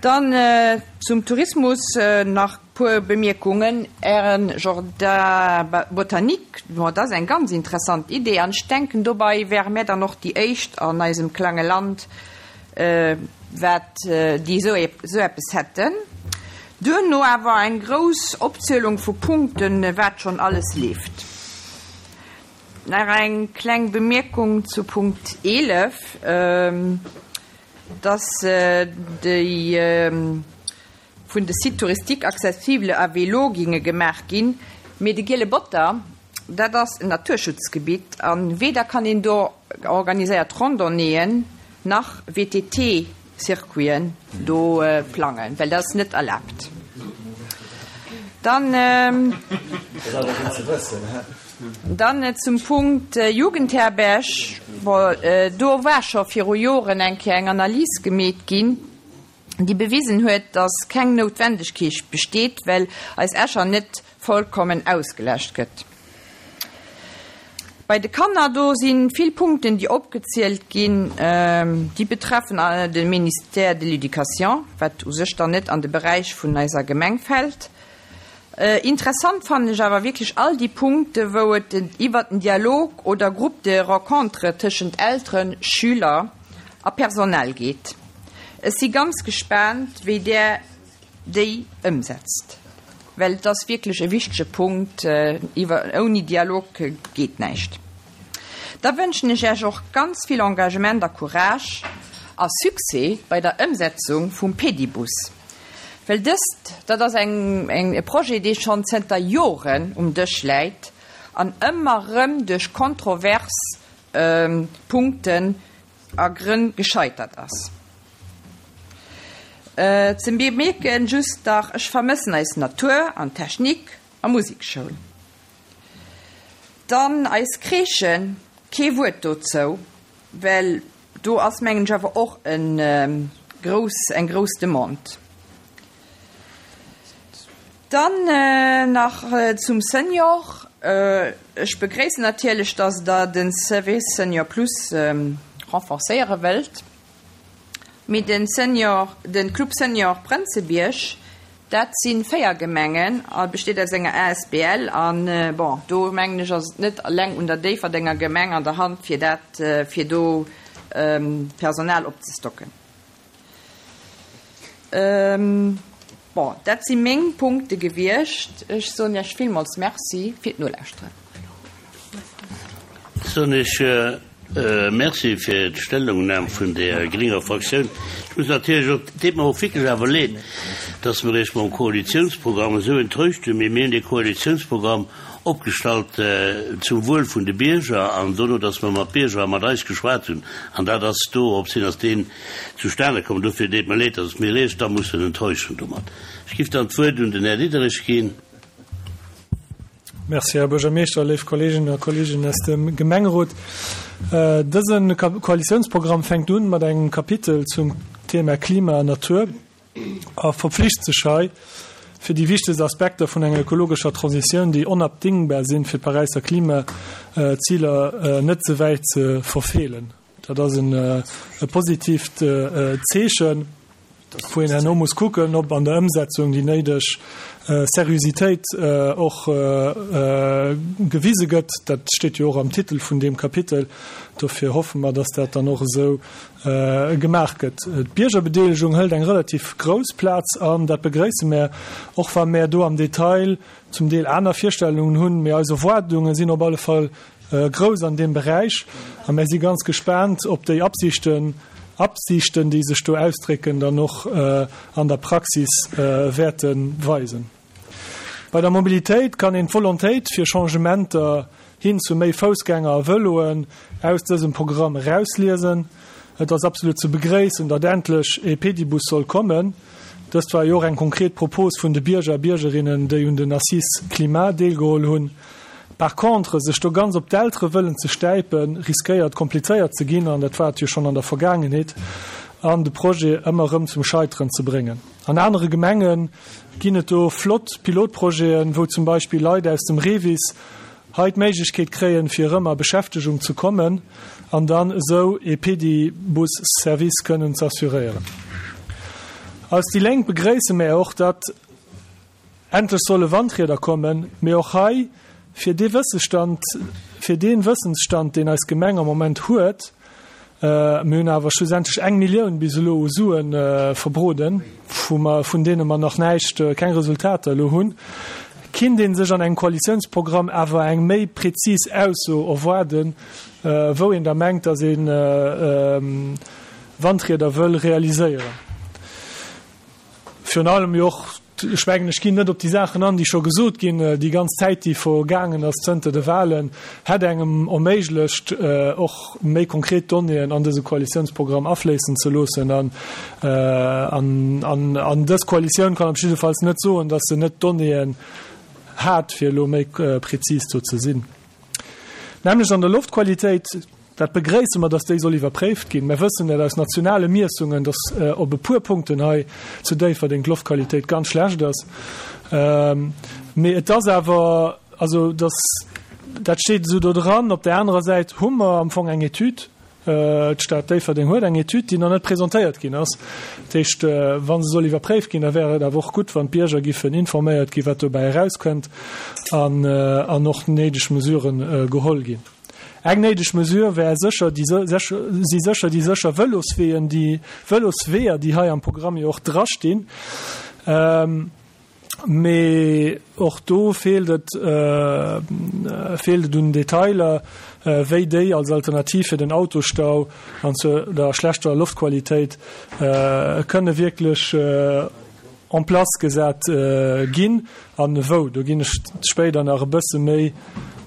Dann zum Tourismus nach puer Bemierkungen. Ären Jardin botanique, bon, dat ass eng ganz interessant Idee an ech denken, dobei wäre mär dann och déi éischt an eisem klange Land, wat déi esou eppes hätten. Duerno awer eng grouss Opzielung vu Punkten, wat schonn alles leeft. Nach eng kleng Bemierkung zu Punkt eelef, dass déi vun de Sites touristiques accessibles à vélo ginge gemaach ginn, mee de Giele Botter, dat ass en Naturschutzgebitt a weder kann een do organiséiert Randonnéeën nach V T T Circuiten do plangen, well dat ass net erlaabt. Dann dann zum Punkt Jugendherberg, bon, do war scho viru Joren eng Kéier eng Analys gemeet ginn, déi bewisen huet, dass keng Noutwendegkeet besteet, well eis Escher net vollkommen ausgelascht gëtt. Bei de Kanner, do si vill Punkten, déi opgezielt ginn, déi betreffen de Ministère de l'Éducation, wat u sech dann net an de Beräich vun eiser Gemeng fält. Interessant fannen ech awer wierklech all déi Punkte wou et iwwert den Dialog oder Groupe de rencontre tëschent Elteren, Schüler a Personal geet. Ech si ganz gespaant, wéi Der déi ëmsetzt, well et ass wierklech e wichtege Punkt, iwwer ouni Dialog geet näischt. Da wënschen ech Iech och ganz vill Engagement a Courage a Succès bei der Ëmsetzung vum Pedibus, well dëst, dat ass eng eng e Projet, dee schonn zënter Joren um Dësch läit an ëmmer erëm duerch kontrovers Punkten a Grënn gescheitert ass. Ze bemierken just dach, ech vermëssen eis Natur an Technik a Musekschoul. Dann eis Crèchen, kee Wuert dozou, well do ass mengen ech awer och en grouss eng grouss Demande. Dann nach zum Senior, ech begréissen natierlech, dass Der den Service Senior Plus renforcéiere wëllt. Mee den Senior, den Club Senior Prënzebierg, dat si véier Gemengen a besteet aus enger A S B L an, bon, do mengen ech ass et net eleng un der Déifferdenger Gemeng an der Hand fir dat, fir do Personal opzestocken. Bon, dat si meng Punkte gewiescht. Ech soen Iech villmools Merci fir d'Nolauschteren. Soen ech Merci fir d'Stellungnam vun der grénger Fraktioun. Ech muss natierlech och, et deet mer och wierklech awer leed, dass mer Iech mam Koalitionsprogramm esou enttäuscht hunn, mee mir hunn dee Koalitionsprogramm opgestallt zum Wuel vun de Bierger an dono, dass mer mat Bierger a mat eis geschwat hunn, an dat ass do op sinn ass deen zustane komm. Dofir deet mer leed, dass mir Iech da mussen enttäuschen domat. Ech giff dann d'Wuert un den Här Diderich ginn. Merci, Här Buergermeeschter, léif Kolleeginnen a Kolleegen aus dem Gemengerot. Dëse Koalitiounsprogramm fänkt un mat engem Kapitel zum Thema Klima an Natur a verpflicht sech hei, fir déi wichtegst Aspekter vun enger ökologescher Transitioun, déi onabdingbar sinn, fir d'Paräisser Klimaziler net ze wäit ze verfeelen. Dat ass e positiivt Zeechen, wou een herno muss kucken, ob an der Ëmsetzung déi néideg Seriositéit och gewise gëtt. Dat steet jo och am Titel vun deem Kapitel. Dofir hoffe mer, dass dat dann och esou gemaach gëtt. D'Biergerbedeelegung hëlt eng relativ grouss Plaz an. Dat begréisse mär, och wa mär do am Detail zum Deel aner Virstellungen hunn. Mee eis Erwaardunge sinn op alle Fall grouss an deem Beräich a mär si ganz gespaant, ob déi Absichten, Absichten, déi sech do ausdrécken, dann och an der Praxis wäerte weisen. Bei der Mobilitéit kann een d'Volontéit fir Changementer hin zu méi Foussgänger a Vëloen aus dësem Programm erausliesen. Et ass absolut ze begréissen, datt endlech ee Pedibus soll kommen. Dëst war jo och eng konkret Propos vun de Bierger a Biergerinnen, déi un den Assises Climat deelgeholl hunn. Par contre, sech do ganz op d'Eltere wëllen ze stäipen, riskéiert komplizéiert ze ginn, an dat war et jo schonn an der Vergaangenheet, an de Projet ëmmer erëm zum Scheiteren ze bréngen. An anere Gemenge ginn et do flott Pilotprojeten, wou zum Beispill Leit aus dem REVIS hei d'Méiglechkeet kréien, fir erëm a Beschäftegung ze kommen an dann esou ee Pedibus-Service kënnen z'assuréieren. Als déi Lénk begréisse mär och, datt endlech solle Wandrieder kommen, mee och hei fir dee Wëssestand, fir dee Wëssensstand, deen eis Gemeng am Moment huet, mir hunn awer schlussendlech eng Millioun bis elo u Sue verbroden, wou mer, vun deene mer nach näischt, keng Resultater elo hunn, kinnt ee sech an engem Koalitiounsprogramm awer eng méi prezis Ausso erwaarden, wou een da mengt, datt ee Wandrieder wëll realiséieren. Virun allem jo och, ech mengen, ech ginn net op déi Saachen an, déi scho gesot ginn, déi ganz Zäit, déi vergaangen ass zënter de Wahlen, hätt engem erméiglecht, och méi konkret Donnéeën an dëse Koalitiounsprogramm afléissen ze loossen. An, an, an dës Koalitioun kann op jiddefalls net soen, datt se net d'Donnéeën hat, fir elo méi prezis do ze sinn. Nämlech an der Loftqualitéit. Dat begréisse mer, dass déi soll iwwerpréift ginn. Mer wëssen dat aus nationale Miessungen, dass op e puer Punkten hei zu Déifferdeng d'Loftqualitéit ganz schlecht ass. Mee et ass awer, also dass, dat steet esou do dran. Op där anerer Säit hu mer am Fong eng Etüd, d'Stad Déifferdeng huet eng Etüd, déi nach net presentéiert ginn ass. Dat heescht, wa se soll iwwerpréift ginn, da wär et awer och gutt, wann d'Bierger giffen informéiert ginn, wat dobäi erauskënnt an och néideg Mesuren geholl ginn. Eng néideg Mesure wär sécher déi si sécher déi sécher Vëlosweeën, déi Vëlosweeër, déi hei am Programm jo och drastinn. Mee och do feelt et feelt et un Detailer, wéi déi als Alternativ fir den Autostau an zu der schlechter Loftqualitéit kënne wierklech en place gesat ginn an wou. Do ginn ech spéider nach e bësse méi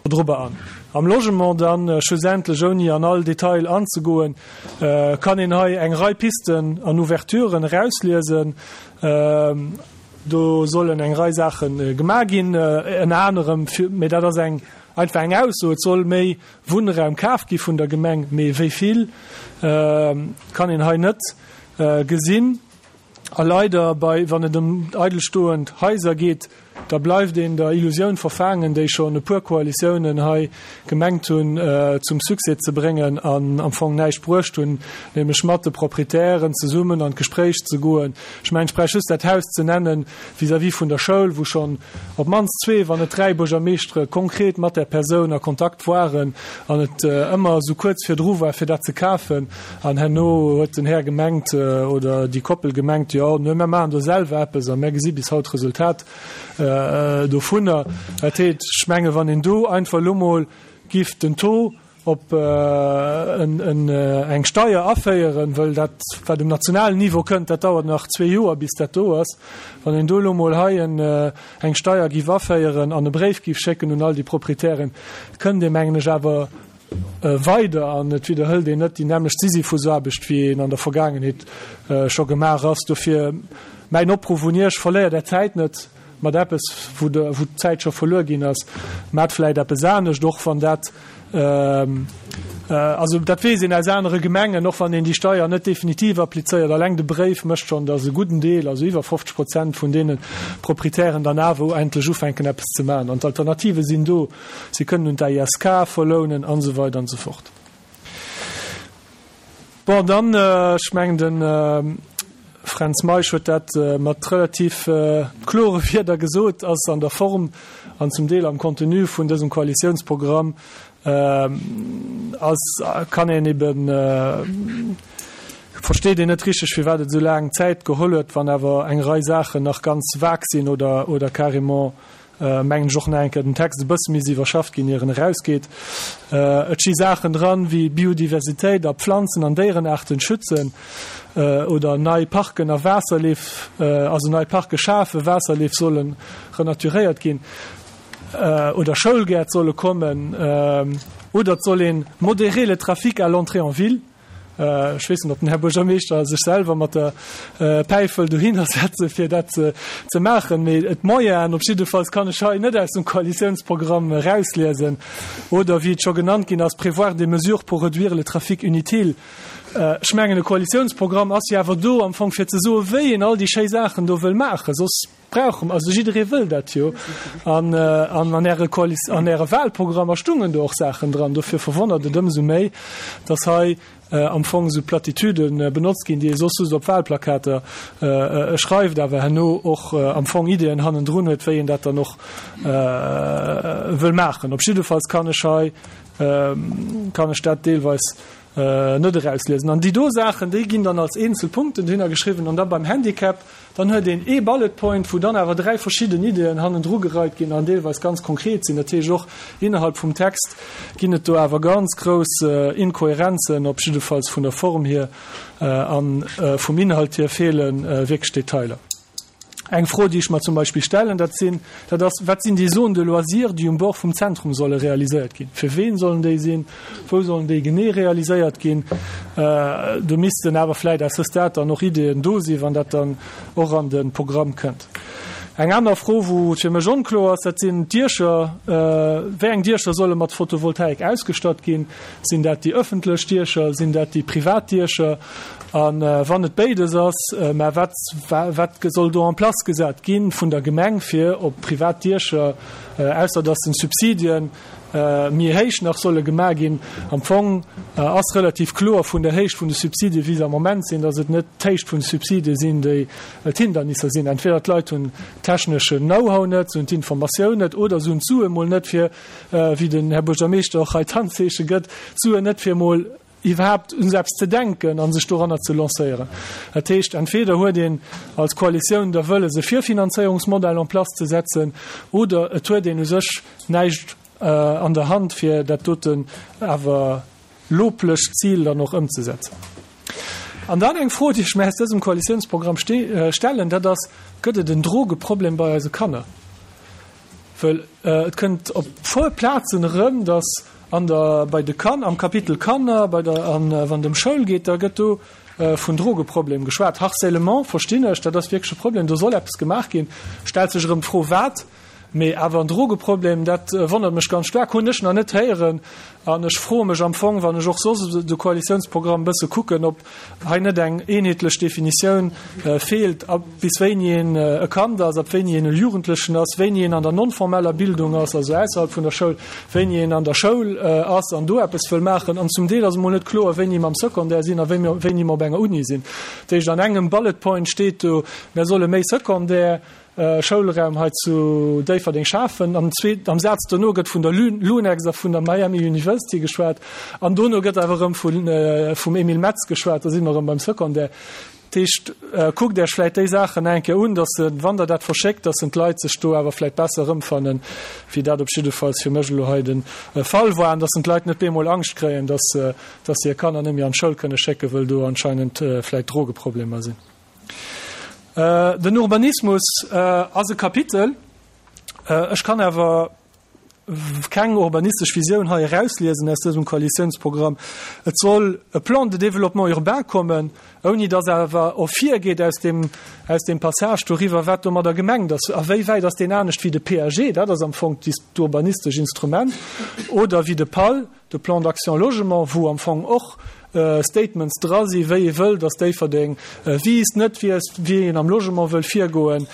dorobber an. Am Logement dann, schlussendlech, ouni an all Detail anzegoen, kann een hei eng Rei Pisten an Ouverturen erausliesen. Do sollen eng Rei Saache gemaach ginn, ënner anerem, mee dat ass eng einfach eng Ausso, et soll méi Wunnraum kaf gi vun der Gemeng, mee wéi vill, kann een hei net gesinn. A leider, bei, wann et ëm eidelstoend Haiser geet, da bleift een der Illusioun verfaangen, déi schonn e puer Koalitiounen hei gemengt hunn zum Succès ze bréngen an am Fong näischt bruecht hunn, nämlech mat de Proprietären zesummen an d'Gespréich ze goen. Ech mengen, ech bräicht just dat Haus ze nennen vis-à-vis vun der Schoul, wou schonn op d'mannst zwee, wann net dräi Buergermeeschtere konkret mat där Persoun a Kontakt waren an et ëmmer esou kuerz virdru war, fir dat ze kafen. An herno huet den Här gemengt, oder déi Koppel gemengt, jo, nö, mär maachen do selwer eppes a mär gesi bis haut d'Resultat dovunner. Dat heescht, ech menge wann een do einfach elo mol giff den Taux op eng Steier aféieren, wëll dat wat um nationalen Niveau kënnt, dat dauert nach zwee Joer bis dat do ass, wann een do elo mol hei eng Steier giff aféieren an e Bréif giff schécken un all déi Proprietären, kënnt ee mengen ech awer weider an et widderhëlt een net déi nämmlecht Sisyphusaarbecht, wéi een an der Vergaangenheet scho gemaach ass. Dofir mäin Opruff un Iech, Verléiert Är Zäit net mat eppes, wou d'Zäit scho verluer ginn ass. Maacht vläicht eppes anescht, och wann dat Also dat weess een aus anere Gemengen, och wann een déi Steier net definitiv applizéiert, alleng de Bréif mécht schonn, datt e gudden Deel, also iwwer fofzeg Prozent vun deene Proprietären dann awer endlech ufänken eppes ze maachen. An d'Alternative sinn do, si kënnen un d'AISK verlounen an esou weider an esou fort. Bon, dann, ech mengen de Fränz Meisch huet dat mat relativ klore Wierder gesot, ass an der Form an zum Deel am Contenu vun dësem Koalitiounsprogramm ass, kann een eben, versteet een net richteg, firwat et esou laang Zäit geholl huet, wann awer eng Rei Saachen nach ganz vag sinn oder, oder carrément, mengen ech, och nach eng Kéier den Text e bësse misst iwwerschafft ginn, ier en erausgeet. Et sti Saachen dran, wéi Biodiversitéit a Pflanzen an Déierenaarten schützen oder nei Parken a Waasserleef, also nei Parke schafen, Waasserleef solle renaturéiert ginn oder Schoulgäert solle kommen oder et soll ee modérer le trafic à l'entrée en ville. Ech weess net, ob den Här Buergermeeschter sech selwer mat der Päif wëll dohinner setzen, fir dat ze maachen, mee d'Moyenen op jiddefalls kann ech hei net aus dem Koalitiounsprogramm erausliesen. Oder wéi et scho genannt ginn ass, prévoir des mesures pour réduire le trafic inutile. Ech mengen, e Koalitiounsprogramm ass jo awer do am Fong, fir ze soen, wéi een all déi schéi Saachen do wëll maachen. Soss brauche mer, also jidderee wëll dat jo. An an Äre Koalis, an Äre Wahlprogrammer stungen do och Saachen dran. Dofir verwonnert et ëmsou méi, dass hei am Fong esou Platitüde benotzt ginn, déi ee soss just op Wahlplakater schreift, awer herno och am Fong Ideeën hannendrun huet, wéi een dat dann och wëll maachen. Op jiddefalls kann ech hei, kann ech dat deelweis net erausliesen. An déi do Saachen, déi ginn dann als eenzel Punkten dohinner geschriwwen. An da beim Handicap, dann huet een ee Bullet Point, wou dann awer dräi verschidden Ideeën hannendru gereit ginn an deelweis ganz konkret sinn. Dat heescht, och innerhalb vum Text ginn et do awer ganz grouss Inkohärenzen, op jiddefalls vun der Form hier, a vum Inhalt hier feele wierklech Detailer. Eng Fro, déi ech mer zum Beispill stellen, dat sinn, dat ass, Wat sinn déi Zones de loisirs, déi um Bord vum Zentrum solle realiséiert ginn? Fir ween sollen déi sinn? Wou sollen déi genee realiséiert ginn? Do missten awer vläicht à ce stade dann och Ideeën do sinn, wann dat dann och an de Programm kënnt. Eng aner Fro, wou et fir mech onkloer ass, dat sinn d'Diecher. Wéi eng Diecher solle mat Photovoltaik ausgestatt ginn? Sinn dat déi ëffentlech Diecher? Sinn dat déi privat Diecher? A wann et béides ass, mä wat, wat soll do en place gesat gi vun der Gemeng fir op privat Diecher, ausser datt den Subsidien méi héich nach solle gemaach ginn? Am Fong ass relativ kloer vun der Héicht vun de Subsidie wéi se am Moment sinn, datt et net d'Héicht vun de Subsidie sinn, déi d'Hindernisser sinn. Entweder d'Leit hunn techneschen Know-how net, se hunn d'Informatioun net oder se hunn d'Sue mol net fir, wéi den Här Buergermeeschter och hei d'Handzeeche gëtt, d'Suen net fir mol iwwerhaapt un esou eppes ze denken a sech doranner ze lancéieren. Dat heescht, entweder huet een als Koalitioun da wëlles e Virfinanzéierungsmodell en place ze setzen oder et huet een u sech näischt an der Hand, fir dat doten awer loblecht Zil dann och ëmzesetzen. An dann eng Fro, déi ech mir aus dësem Koalitiounsprogramm stellen, dat ass, Gëtt et en Drogeproblem bei eise Kanner? Well et kënnt op puer Plazen erëm, datt an der, bei de Kan, am Kapitel Kanner, bei der, an wann et ëm Schoul geet, da gëtt do vun Drogeproblem geschwat. Harcèlement verstinn ech, dat ass wierklech e Problem, do soll eppes gemaach ginn. Stellt sech erëm d'Fro, wat? Mee awer en Drogeproblem, dat wonnert mech ganz staark, hunn ech nach net héieren. An ech froe mech am Fong, wann ech och soss de Koalitiounsprogramm e bësse kucken, ob hei net eng eenheetlech Definitioun feelt, ab bis wéini een e Kand ass, ab wéini een e Jugendlechen ass, wéini een an der non-formeller Bildung ass, also ausserhalb vun der Schoul, wéini een an der Schoul ass an do eppes wëll maachen. An zum Deel ass emol net kloer, wéini mer am Secondaire sinn a wéini mer op enger Uni sinn. Dat heescht, an engem Bullet Point steet do, mer solle méi Secondaire, Schoulraum hei zu Déifferdeng schafen. Am zweeten, am Saz dono gëtt vun der Lunex a vun der Miami University geschwat an dono gëtt awer erëm vun, vum Emile Metz geschwat, da si mer erëm beim Secondaire. Dat heescht, kuckt Iech vläicht déi Saachen eng Kéier un, dass se, wann Der dat verschéckt, dass en d'Leit sech do awer vläicht besser erëmfannen, wéi dat op jiddefalls fir mech elo hei de Fall war, an dass en d'Leit net bemol Angscht kréien, dass, dass se hir Kanner net méi an d'Schoul kënne schécken, wëll do anscheinend vläicht Drogeproblemer sinn. Den Urbanismus ass e Kapitel. Ech kann awer keng urbanistesch Visioun hei erausliesen aus dësem Koalitiounsprogramm. Et soll e Plan de développement urbain kommen, ouni datt awer ervirgeet aus deem, aus deem Passage doriwwer, wat domadder gemengt ass. A wéi wäit ass deen anescht wéi de P A G, dat ass am Fong d'urbanistesch Instrument, oder wéi de PAL. de Plan d'action logement, wou am Fong och Statements dra si wéi ee wëll, dass Déifferdeng wiisst, net wiisst, wéi een am Logement wëll virgoen.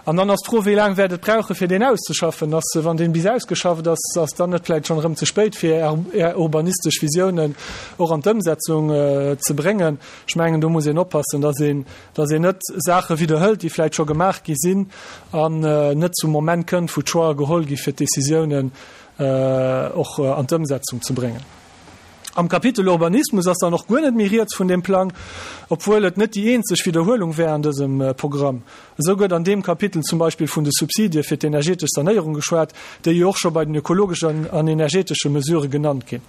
An dann ass d'Fro, wéi laang wäert et brauche fir deen auszeschaffen? Ass, wann deen bis ausgeschafft ass, ass dann net vläicht schonn erëm ze spéit fir Är urbanistesch Visiounen och an d'Ëmsetzung ze bréngen? Ech mengen, do muss een oppassen, dass een, dass een net Saache widderhëlt, déi vläicht scho gemaach gi sinn an net zum Moment kënnt, wou d'Choixë geholl gi fir d'Décisiounen och an d'Ëmsetzung ze bréngen. Am Kapitel Urbanismus ass dann och guer net méi rieds vun deem Plang, obwuel et net déi eenzeg Widderhuelung wär an dësem Programm. Esou gëtt an deem Kapitel zum Beispill vun de Subsidie fir d'energetesch Sanéierung geschwat, déi jo och scho bei den ökologeschen an energetesche Mesurë genannt ginn.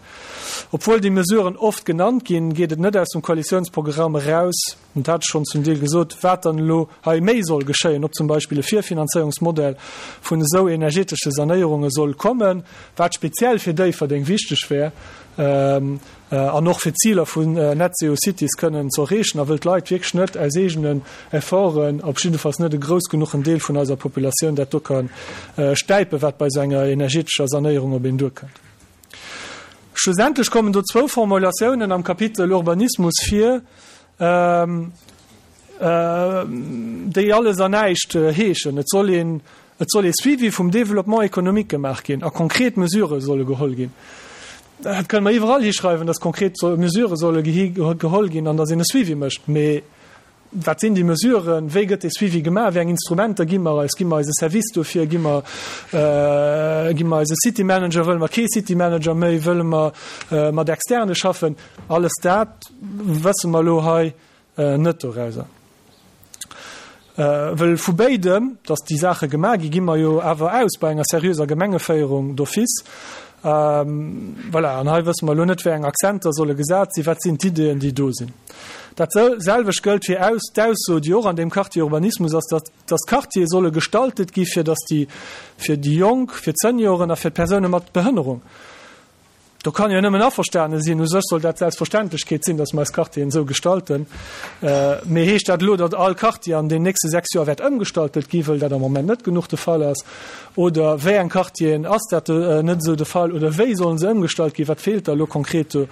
Obwuel déi Mesuren oft genannt ginn, geet et net aus dem Koalitiounsprogramm eraus, dat hat ech schonn zum Deel gesot, wat dann elo hei méi soll geschéien, ob zum Beispill e Virfinanzéierungsmodell vun esou energetesche Sanéierunge soll kommen, wat speziell fir Déifferdeng wichteg wär an och fir d'Ziler vun Net Zero Cities kënnen ze erreechen, a wëll d'Leit wierklech net aus eegenen Efforten, op jiddefalls net e grouss genuchen Deel vun eiser Populatioun, dat do ka stäipen, wat bei esou enger energetescher Sanéierung op een duerkënnt. Schlussendlech kommen do zwou Formulatiounen am Kapitel Urbanismus vir, déi alles an näischt heeschen. Et soll een, et soll ee Suivi vum Développement économique gemaach ginn a konkret Mesurë solle geholl ginn. Dat kënne mer iwwerall hischreiwen, dass konkret Mesurë solle geholl ginn an dass een e Suivi mécht. Mee wat sinn déi Mesuren? Wéi gëtt dee Suivi gemaach? Wéi eng Instrumenter gi mer eis? Gi mer eis e Service dofir? Gi mer, gi mer eis e City Manager? Wëlle mer kee City Manager méi? Wëlle mer mat Externe schaffen? Alles dat wësse mer elo hei net dorauser. Wëll vu béidem, datt déi Saache gemaach gi, gi mer jo awer aus bei enger seriöser Gemengeféierung d'office. Voilà, an hei wësse mer elo net, wéi eng Akzenter solle gesat sinn, wat sinn d'Ideeën, déi do sinn. Dat selwecht gëllt fir aus d'Ausso, déi och an deem Quartier Urbanismus ass, datt datt d'Quartiere solle gestaltet gi fir datt déi fir déi Jonk, fir d'Senioren a fir d'Persoune mat Behënnerung. Do kann jo nëmmen averstane sinn, u sech soll dat d'Selbstverständlechkeet sinn, datt mer eis Quartieren esou gestalten. Mee heescht dat elo, datt all Quartier an den nächste sechs Joer wäert ëmgestaltet gi, wëll dat am Moment net genuch de Fall ass? Oder wéi eng Quartieren ass dat net esou de Fall? Oder wéi sollen se ëmgestalt ginn? Wat feelt da elo konkret do?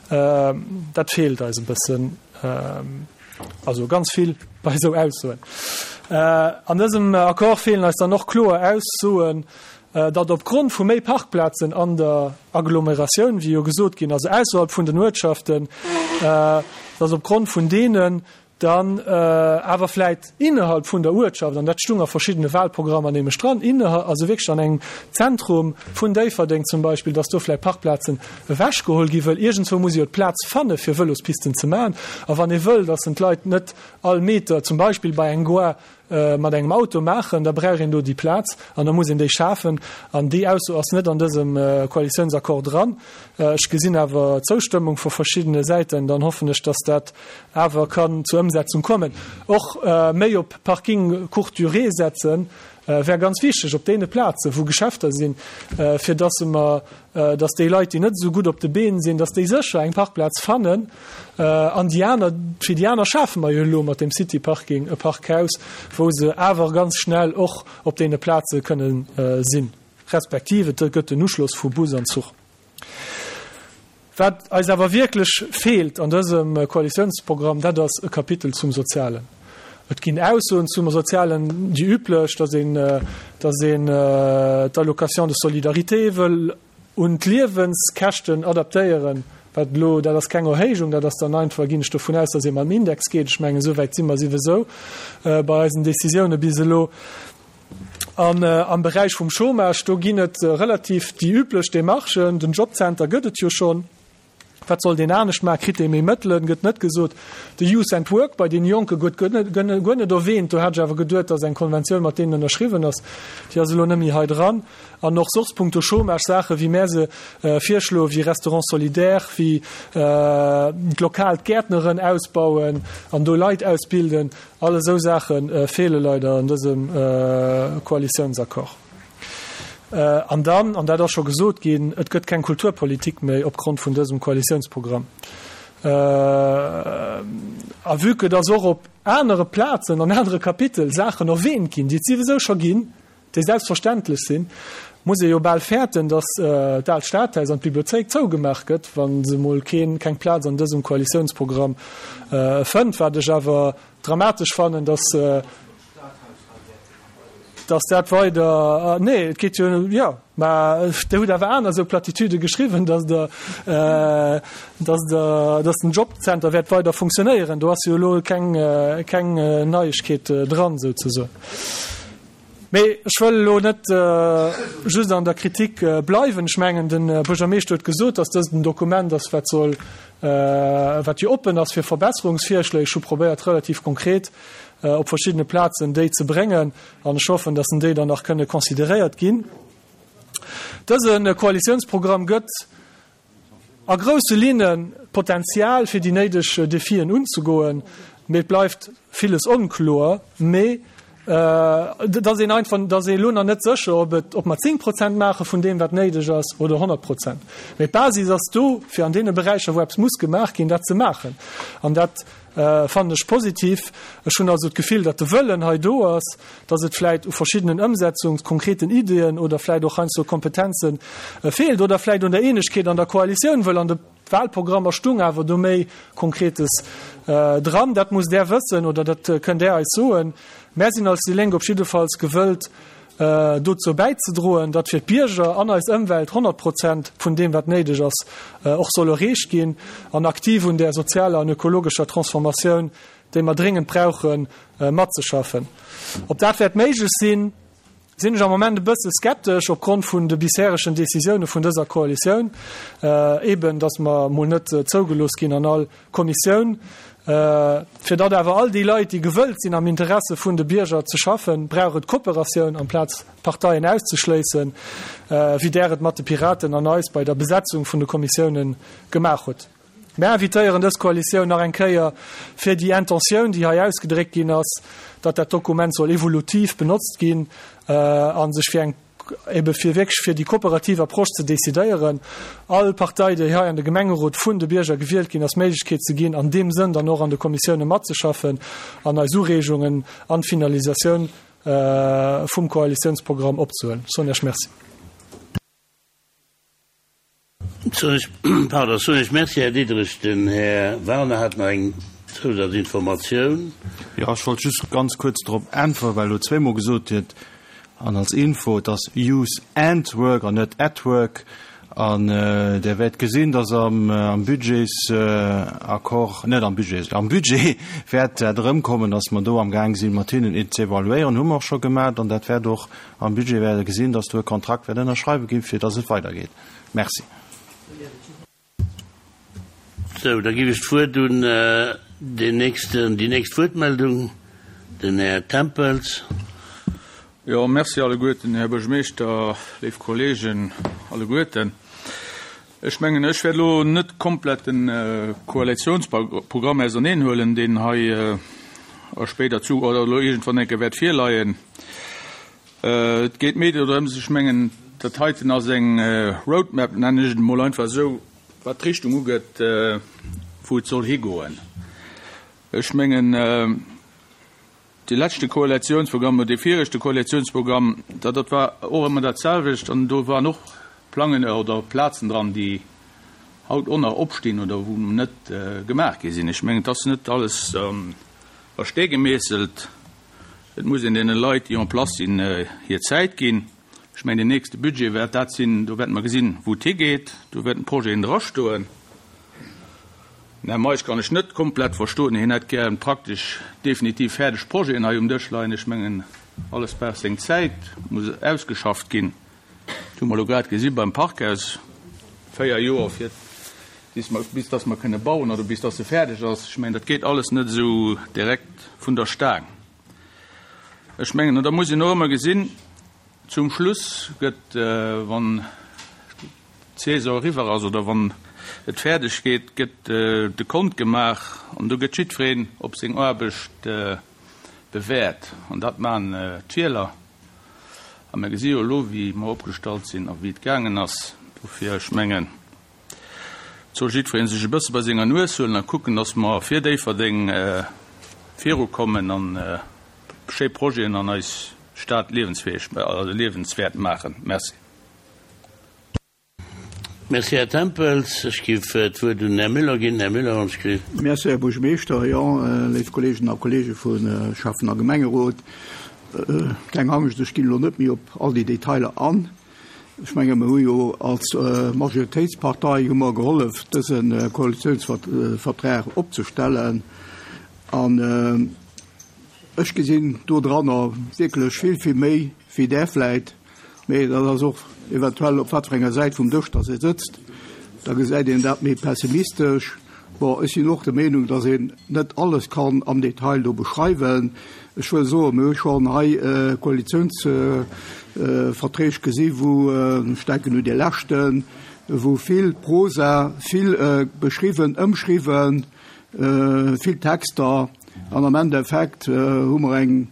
Dat feelt eis e bëssen, also ganz vill bei esou Aussoen. An dësem Accord feelen eis dann och kloer Aussoen, datt opgrond vu méi Parkplazen an der Agglomeratioun, wéi jo gesot ginn, also ausserhalb vun den Uertschaften, datt opgrond vun deenen dann awer vläit innerhalb vun der Uertschaft, an dat stung a verschiddene Wahlprogrammer nämlech dran, innerhalb, also wierklech an engem Zentrum vun Déifferdeng zum Beispill, datt do vläit Parkplazen ewechgeholl ginn, wëll iergendzwou muss ee jo d'Plaz fanne fir Vëlospisten ze maachen. A wann ee wëll, datt d'Leit net all Meter zum Beispill bei eng Gare mat engem Auto maachen, da brauch een do déi Plaz an da muss een déi schafen. An déi Ausso ass net an dësem Koalitiounsaccord dran. Ech gesinn awer Zoustëmmung vu verschiddene Säiten. Dann hoffen ech, dass dat awer kann zur Ëmsetzung kommen. Och méi op Parking courte durée setzen wär ganz wichteg op deene Plazen, wou Geschäfter sinn, fir dass mer, dass déi Leit, déi net esou gutt op de Been sinn, dass déi sécher eng Parkplaz fannen. An déi aner, fir déi aner schafe mer jo elo mat deem City Parking e Parkhaus, wou se awer ganz schnell och op deene Plaze kënnen sinn, respektiv et gëtt en Uschloss vu Bus an Zuch. Wat eis awer wierklech feelt an dësem Koalitiounsprogramm, dat ass e Kapitel zum Sozialen. Et ginn Aussoen zum Sozialen, déi üblech, dass een, dass een d'Allocation de solidarité wëll un d'Liewenskäschten adaptéieren, wat elo, dat ass keng Erhéijung, dat ass dann einfach, ginn ech dovun aus, dass ee mam Index geet. Ech mengen, esou wäit si mer siwesou bei eisen Décisioune bis elo. An am Beräich vum Chômage, do ginn et relativ déi üblech Démarchen. Den Jobcenter gëtt et jo schonn. Wat soll deen anescht maachen? Kritt dee méi Mëttelen? Gëtt net gesot. De Youth and Work bei deene Jonke gëtt guer net erwähnt. Do hat ech awer geduet, datt eng Konventioun mat deenen ënnerschriwwen ass. Déi ass elo net méi hei dran. An och soss punkto Chômage Saache wéi mär se virschloen, wéi Restaurants solidaires, wéi d'lokal d'Gäertneren ausbauen an do Leit ausbilden, all esou Saache feele leider an dësem Koalitiounsaccord. An dann, an dat ass scho gesot ginn, et gëtt keng Kulturpolitik méi opgrond vun dësem Koalitiounsprogramm. A vue que dass och op anere Plazen, an anere Kapitel Saachen erwähnt ginn, déi et siwesou scho ginn, déi selbstverständlech sinn, muss ee jo bal fäerten, datt d'Aalt Stadhaus an d'Bibliothéik zougemaach gëtt, wa se mol keen, keng Plaz an dësem Koalitiounsprogramm fënnt, wat ech awer dramatesch fannen, datt, datt dat weider, nee, et geet jo, jo, mä Der hutt awer aner esou Platitüde geschriwwen, datt Der, datt Der, datt den Jobcenter wäert weider funktionéieren. Do ass jo elo keng, keng Neiegkeet dran, souzesoen. Mee ech wëll elo net just an der Kritik bleiwen. Ech mengen, de Buergermeeschter huet gesot, dass dëst en Dokument ass, wat soll, wat jo oppen ass fir Verbesserungsvirschléi. Ech hu probéiert, relativ konkret op verschiddene Plazen déi ze bréngen an ech hoffen, dass déi dann nach kënne consideréiert ginn. Dëse Koalitiounsprogramm gëtt a grousse Linnen d'Potenzial, fir déi néideg Defien unzegoen, mee et bleift villes onkloer. Mee et ass een einfach, et ass ee elo nach net sécher, ob et, ob mer zéng Prozent maache vun deem, wat néideg ass, oder honnert Prozent. Mee d'Basis ass do, fir an deene Beräicher, wou eppes muss gemaach ginn, dat ze maachen. An dat fannen ech positiv. Ech hunn also d'Gefill, datt de Wëllen hei do ass, datt et vläicht u verschiddenen Ëmsetzungs-, konkreten Ideeën oder vläicht och heiansdo Kompetenze feelt oder vläicht un der Eenegkeet an der Koalitioun, wëll an de Wahlprogrammer stung awer do méi Konkretes dran. Dat musst Där wëssen oder dat kënnt Där eis soen. Mär sinn als déi Lénk op jiddefalls gewëllt, dozou bäizedroen, datt fir d'Bierger an eis Ëmwelt honnert Prozent vun deem, wat néideg ass, och soll erreecht ginn an aktiv un där sozialer an ökologescher Transformatioun, déi mer dréngend brauchen, matzeschaffen. Ob dat wäert méiglech sinn, sinn ech am Moment e bësse skeptesch opgrond vun de bisheregen Decisioune vun dëser Koalitioun, eben datt mer mol net zougelooss ginn an all Kommissioun. Fir datt awer all déi Leit, déi gewëllt sinn am Interesse vun de Bierger ze schaffen, brauch et Kooperatioun amplaz Parteien auszeschléissen, wéi Där et mat de Piraten an eis bei der Besetzung vun de Kommissiounen gemaach hutt. Mär invitéieren dës Koalitioun nach eng Kéier, fir déi Intentioun, déi hei ausgedréckt ginn ass, datt dat Dokument soll evolutiv benotzt ginn a sech fir eng, ebe fir wierklech fir déi kooperativ Approche ze decidéieren, all Partei, déi hei an de Gemengerot vun de Bierger gewielt ginn ass, d'Méiglechkeet ze ginn, an deem Sënn dann och an de Kommissioune matzeschaffen an eis Ureegungen an d'Finalisatioun vum Koalitiounsprogramm opzehuelen. Ech soen Iech Merci. Pardon, soen Iech Merci, Här Diderich. Den Här Werner hat nach eng Zousazinformatioun. Jo, ech wollt just ganz kuerz drop äntweren, well elo zweemol gesot huet, an als Info, et ass Youth and Work an net at Work. An Der wäert gesinn, dass am Budgetsaccord, net am Budgets, am Budget wäert dat erëmkommen, dass mer do amgaang sinn, mat hinnen et ze evaluéieren. Hu mer och scho gemaach. An dat wäert och am Budget wäert Der gesinn, dass do e Kontrakt wäert ënnerschreiwe ginn, fir dass et weidergeet. Merci. Sou, da ginn ech d'Wuert un deen nächsten, déi nächst Wuertmeldung, den Här Tempels. Jo, merci alleguerten, Här Buergermeeschter, léif Kolleegen alleguerten. Ech mengen, ech wäert elo net komplett de Koalitionsprogramm auserneenhuelen, deen hei a spéider zu oder elo iergendwann eng Kéier wäert virleien. Et geet méi dorëms, ech mengen, dat heiten ass eng Roadmap, nennen ech et emol einfach esou, wat d'Richtung ugeet, wou et soll higoen. Ech mengen, dee leschte Koalitionsprogramm oder dee viregte Koalitionsprogramm, dat dat war och ëmmer dat selwecht an do waren och Plangen oder Plazen dran, déi haut och nach opstinn oder wou net gemaach gi sinn. Ech mengen, et ass net alles a Stee gemeesselt. Et muss een deene Leit, déi en place sinn, hir Zäit ginn. Ech mengen, deen nächste Budget wäert dat sinn, do wäerte mer gesinn, wou et higeet. Do wäerten d'Projeten drastoen. Den Här Meisch kann ech net komplett verstoen. Hien hätt gär praktesch definitiv fäerdeg Projeten hei um Dësch leien. Ech mengen, alles brauch seng Zäit, muss ausgeschafft ginn. Dat hu mer elo grad gesi beim Parkhaus, véier Joer fir bis mer, bis dass mer kënne bauen oder bis dass e fäerdeg ass. Ech mengen, dat geet alles net esou direkt vun der Staang. Ech mengen, an da muss een och ëmmer gesinn, zum Schluss gëtt, wann d'Saison eriwwer ass oder wann et fäerdeg geet, gëtt de Kont gemaach an do gëtt jiddwereen op seng Aarbecht bewäert. An dat maachen d'Wieler. A mir gesi jo elo, wéi mer opgestallt sinn a wéi et gaangen ass. Dofir, ech mengen, et soll jiddweree sech e bësse bei senger Nues huelen a kucken, dass mer fir Déifferdeng virukommen an schéi Projeten an eis Stad liewensfäeg, also liewenswäert maachen. Merci. Merci, Här Tempels. Ech géif d'Wuert un den Här Müller ginn. Här Müller, wann ech gelift. Merci, Här Buergermeeschter. Jo, léif Kolleegen a Kollege vu Schäffen a Gemengerot, keng Angscht, ech ginn elo net méi op all déi Detailer an. Ech menge mer hu jo als Majoritéitspartei hu mer gehollef, dëse Koalitiounsvertrag opzestellen. An ech gesinn dodranner wierklech vill, vill méi wéi där vläit. Mee dat ass och eventuell op wat fir enger Säit vum Dësch dass ee sëtzt, da gesäit een dat méi pessimistesch. Bon, ech sinn och der Meenung, dass een net alles kann am Detail do beschreiwen. Ech wëll soen, mir hu schonn hei Koalitiounsverträg gesi wou, ech denken un dee leschten, wou vill Prosa, vill beschriwwen, ëmschriwwen, vill Texter an am Endeffekt hu mer eng,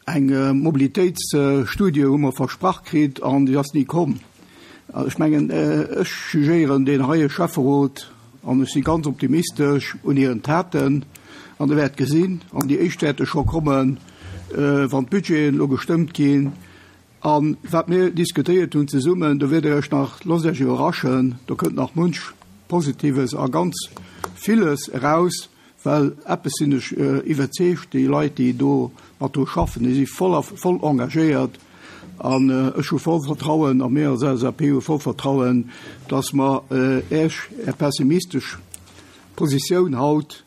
Eng Mobilitéitsstudie hu mer versprach kritt an déi ass ni komm. Ech mengen, ech jugéieren deen heie Schäfferot, an ech si ganz optimistesch, un hiren Taten. An Der wäert gesinn, an déi éischt wäerte scho kommen, wann d'Budgeten elo gestëmmt ginn. A wat mir diskutéiert hunn zesummen, do wäert Der Iech nach, loosst Iech iwwerraschen, do kënnt nach munch Positives a ganz villes eraus. Well eppes sinn ech iwwerzeegt, déi Leit, déi do mat dru schaffen, déi si voll a voll engagéiert. An ech hu voll Vertrauen, a mir als L S A P hu voll Vertrauen, dass mer Iech Är pessimistesch Positioun haut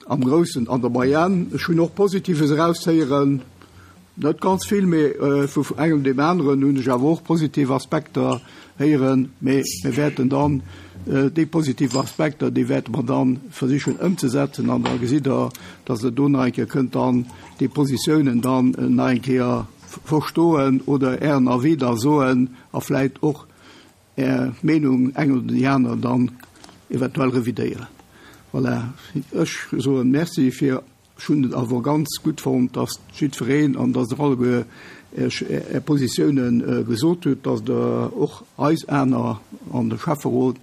am Groussen an der Moyenne, ech hunn och Positives eraushéieren, net ganz vill, mee vu engem deem aneren hunn ech awer och positiv Aspekter héieren, mee mir wäerten dann déi positiv Aspekter, déi wäerte mer dann versichen ëmzesetzen an da gesitt Der, dass Der do nach eng Kéier kënnt dann déi Positiounen dann nach eng Kéier verstoen oder Ären Avis da soen a vläicht och Är Meenung eng oder déi aner dann eventuell revidéieren. Voilà, ech soen Merci fir, ech hunn et awer ganz gutt fonnt, dass jiddwereen an dass Der alleguer Iech Är Positiounen gesot hutt, dass Der och eis aner an de Schäfferot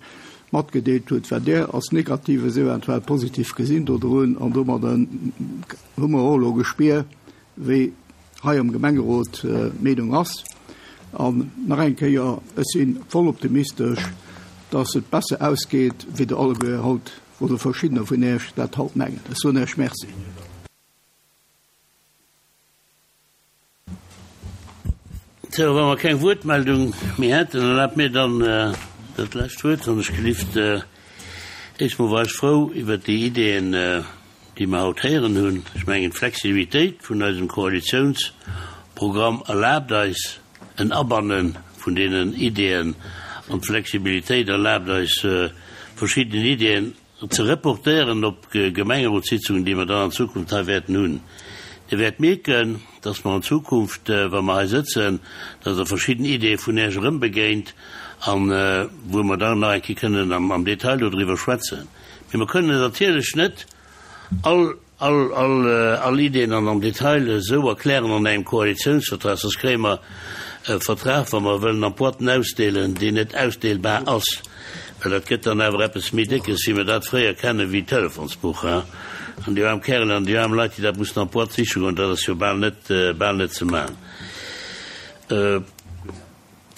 matgedeelt hutt, wat Där als Negatives eventuell positiv gesinn dodrun. An domadder hu mer och elo gespier, wéi hei am Gemengerot d'Meenung ass. An nach eng Kéier, ech si voll optimistesch, dass et besser ausgeet, wéi Der alleguer haut oder verschiddener vun Iech dat haut mengen. Ech soen Iech Merci. Sou, wa mer keng Wuertmeldung méi hätten, erlaabt mir dann dat lescht Wuert, wann ech gelift. Éischt mol war ech frou iwwert déi Ideeën, déi mer haut héieren hunn. Ech mengen, d'Flexibilitéit vun eisem Koalitiounsprogramm erlaabt eis en Abanne vun deenen Ideeën an d'Flexibilitéit erlaabt eis, verschidden Ideeën ze reportéieren op Gemengerotssitzungen, déi mer dann an Zukunft hei wäerten hunn. Dir wäert mierken, dass mer an Zukunft, wa mer hei sëtzen, dass Der verschidden Ideeë vun Iech erëmbegéint an wou mer dann nach eng Kéier kënnen am Detail dodriwwer schwätzen. Mee mer kënnen natierlech net all, all, all, all Ideeën an am Detail esou erklären an engem Koalitionsvertrag, soss kréie mer e Vertrag, wa mer wëllen an Boîten ausdeelen, deen net ausdeelbar ass. Well dat gëtt dann awer eppes méi Déckes, wéi mer dat fréier kennen, wéi d'Telefonsbuch, hein. An déi aarm Kärelen an déi aarm Leit, déi dat mussen an d'Boîte siche goen, dat ass jo bal net, bal net ze maachen.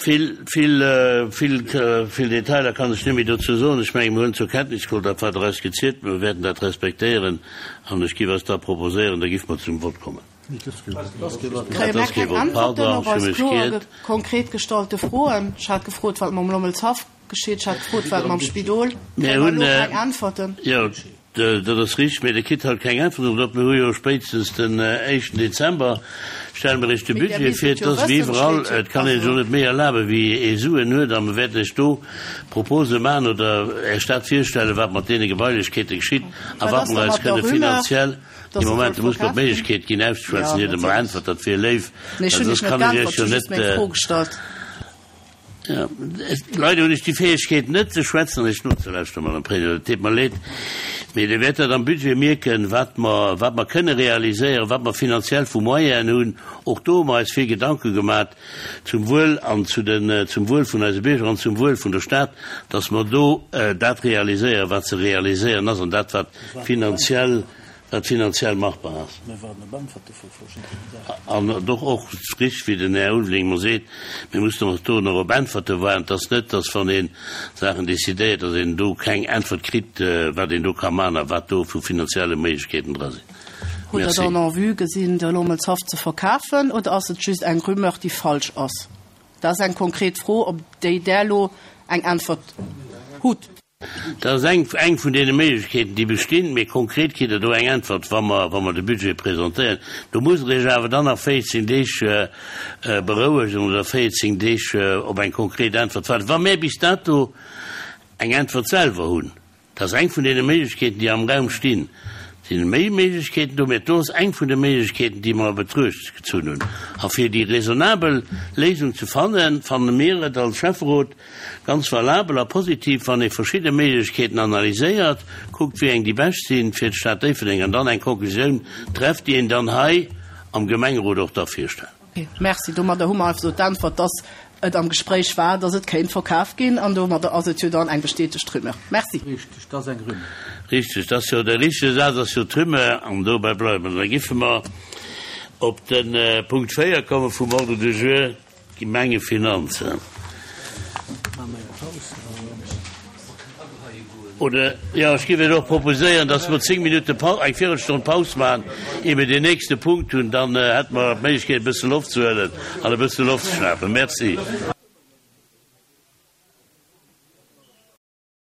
Vill, vill, vill, vill Detailer kann ech net méi dozou soen. Ech mengen, mir hunn zur Kenntnis geholl, dat wat Der eis gezielt hutt. Mir wäerten dat respektéieren an ech géif eis da proposéieren, da géife mer zum Vott kommen. Kréie mer keng Äntwerten op eis kloer konkret gestallte Froen? Ech hat gefrot, wat mam Lommelshaff geschitt. Ech hat gefrot, wat mam Spidol. Kréie mer elo keng Äntwerten? Jo, dat ass richteg, mee Der kritt haut keng Äntwerten drop. Mir hu jo spéitstens den éischten Dezember stelle mer Iech de Budget vir. Et ass wéi iwwerall, et kann een sech och net méi erlaben, wéi ee Suen huet. A mer wäerten Iech do Propose maachen oder Iech dat virstellen, wat mat deene Gebailechkeete geschitt a wat mer eis kënne finanziell. Dee Moment, do muss mer d'Méiglechkeet ginn auszeschwätzen, ier Der mer äntwert. Dat wier léif, well soss kann ech Iech jo net. Leider hunn ech déi Fäegkeet net ze schwätzen an Iech nozelauschteren, Madame Président. Et deet mer leed, mee Dir wäert dat am Budget mierken, wat mer, wat mer kënne realiséieren, wat mer finanziell vu Moyenen hunn. Och do hu mer eis vill Gedanke gemat zum Wuel an zu den, zum Wuel vun eise Bierger an zum Wuel vun der Stad, dass mer do dat realiséieren, wat ze realiséieren ass an dat, wat finanziell, wat finanziell machbar ass. An doch och richteg, wéi den Här Ulveling mer seet, mir mussen och do nach op Äntwerte waarden. Et ass net, dass wann ee Saachen decidéiert, dass een do keng Äntwert kritt, wat een do ka maachen a wat do vu finanzielle Méiglechkeeten dra sinn. Hutt Der dann en vue gesinn, de Lommelshaff ze verkafen oder ass et just eng Rumeur, déi falsch ass? Dat ass eng konkret Fro, op déi Der elo eng Äntwert hutt. Dat ass eng, eng vun deene Méiglechkeeten, déi bestinn, mee konkret kritt Der do eng Äntwert, wa mer, wa mer de Budget presentéieren. Do musst Der Iech awer dann nach véierzéng Deeg berouegen oder véierzéng Deeg op eng konkret Äntwert waarden. Wa mir bis dato eng Äntwert selwer hunn, dat ass eng vun deene Méiglechkeeten, déi am Raum stinn, Et sinn méi Méiglechkeeten do, mä do ass eng vun de Méiglechkeeten, déi mer a Betruecht gezunn hunn. A fir déi raisonnabel Léisung ze fannen, fanne mir et als Schäfferot ganz valabel a positiv, wann ee verschidde Méiglechkeeten analyséiert, kuckt, wéi eng déi bescht sinn fir d'Stad Déifferdeng an dann eng Konklusioun trefft, déi een dann hei am Gemengerot och da virstellt. Ok, merci. Domadder hu mer einfach esou d'Äntwert, dass et am Gespréich war, dass et kéint verkaf ginn, an domadder ass et jo dann eng bestätegt Rumeur. Merci. Richteg, dat ass eng Rumeur. Richteg, dat ass jo de richtege Saz, ass jo d'Rumeur, an dobäi bleiwe mer. Da giffe mer op de Punkt véier komme vum Ordre du jour, d'Gemengefinanzen. Oder, jo, ech géif Iech och proposéieren, dass mer zéng Minutte Pau-, eng Virelstonn Paus maachen, ier mir deen nächste Punkt hunn. Dann hätte mer d'Méiglechkeet, e bësse Loft ze huelen an e bësse Loft ze schnapen. Merci.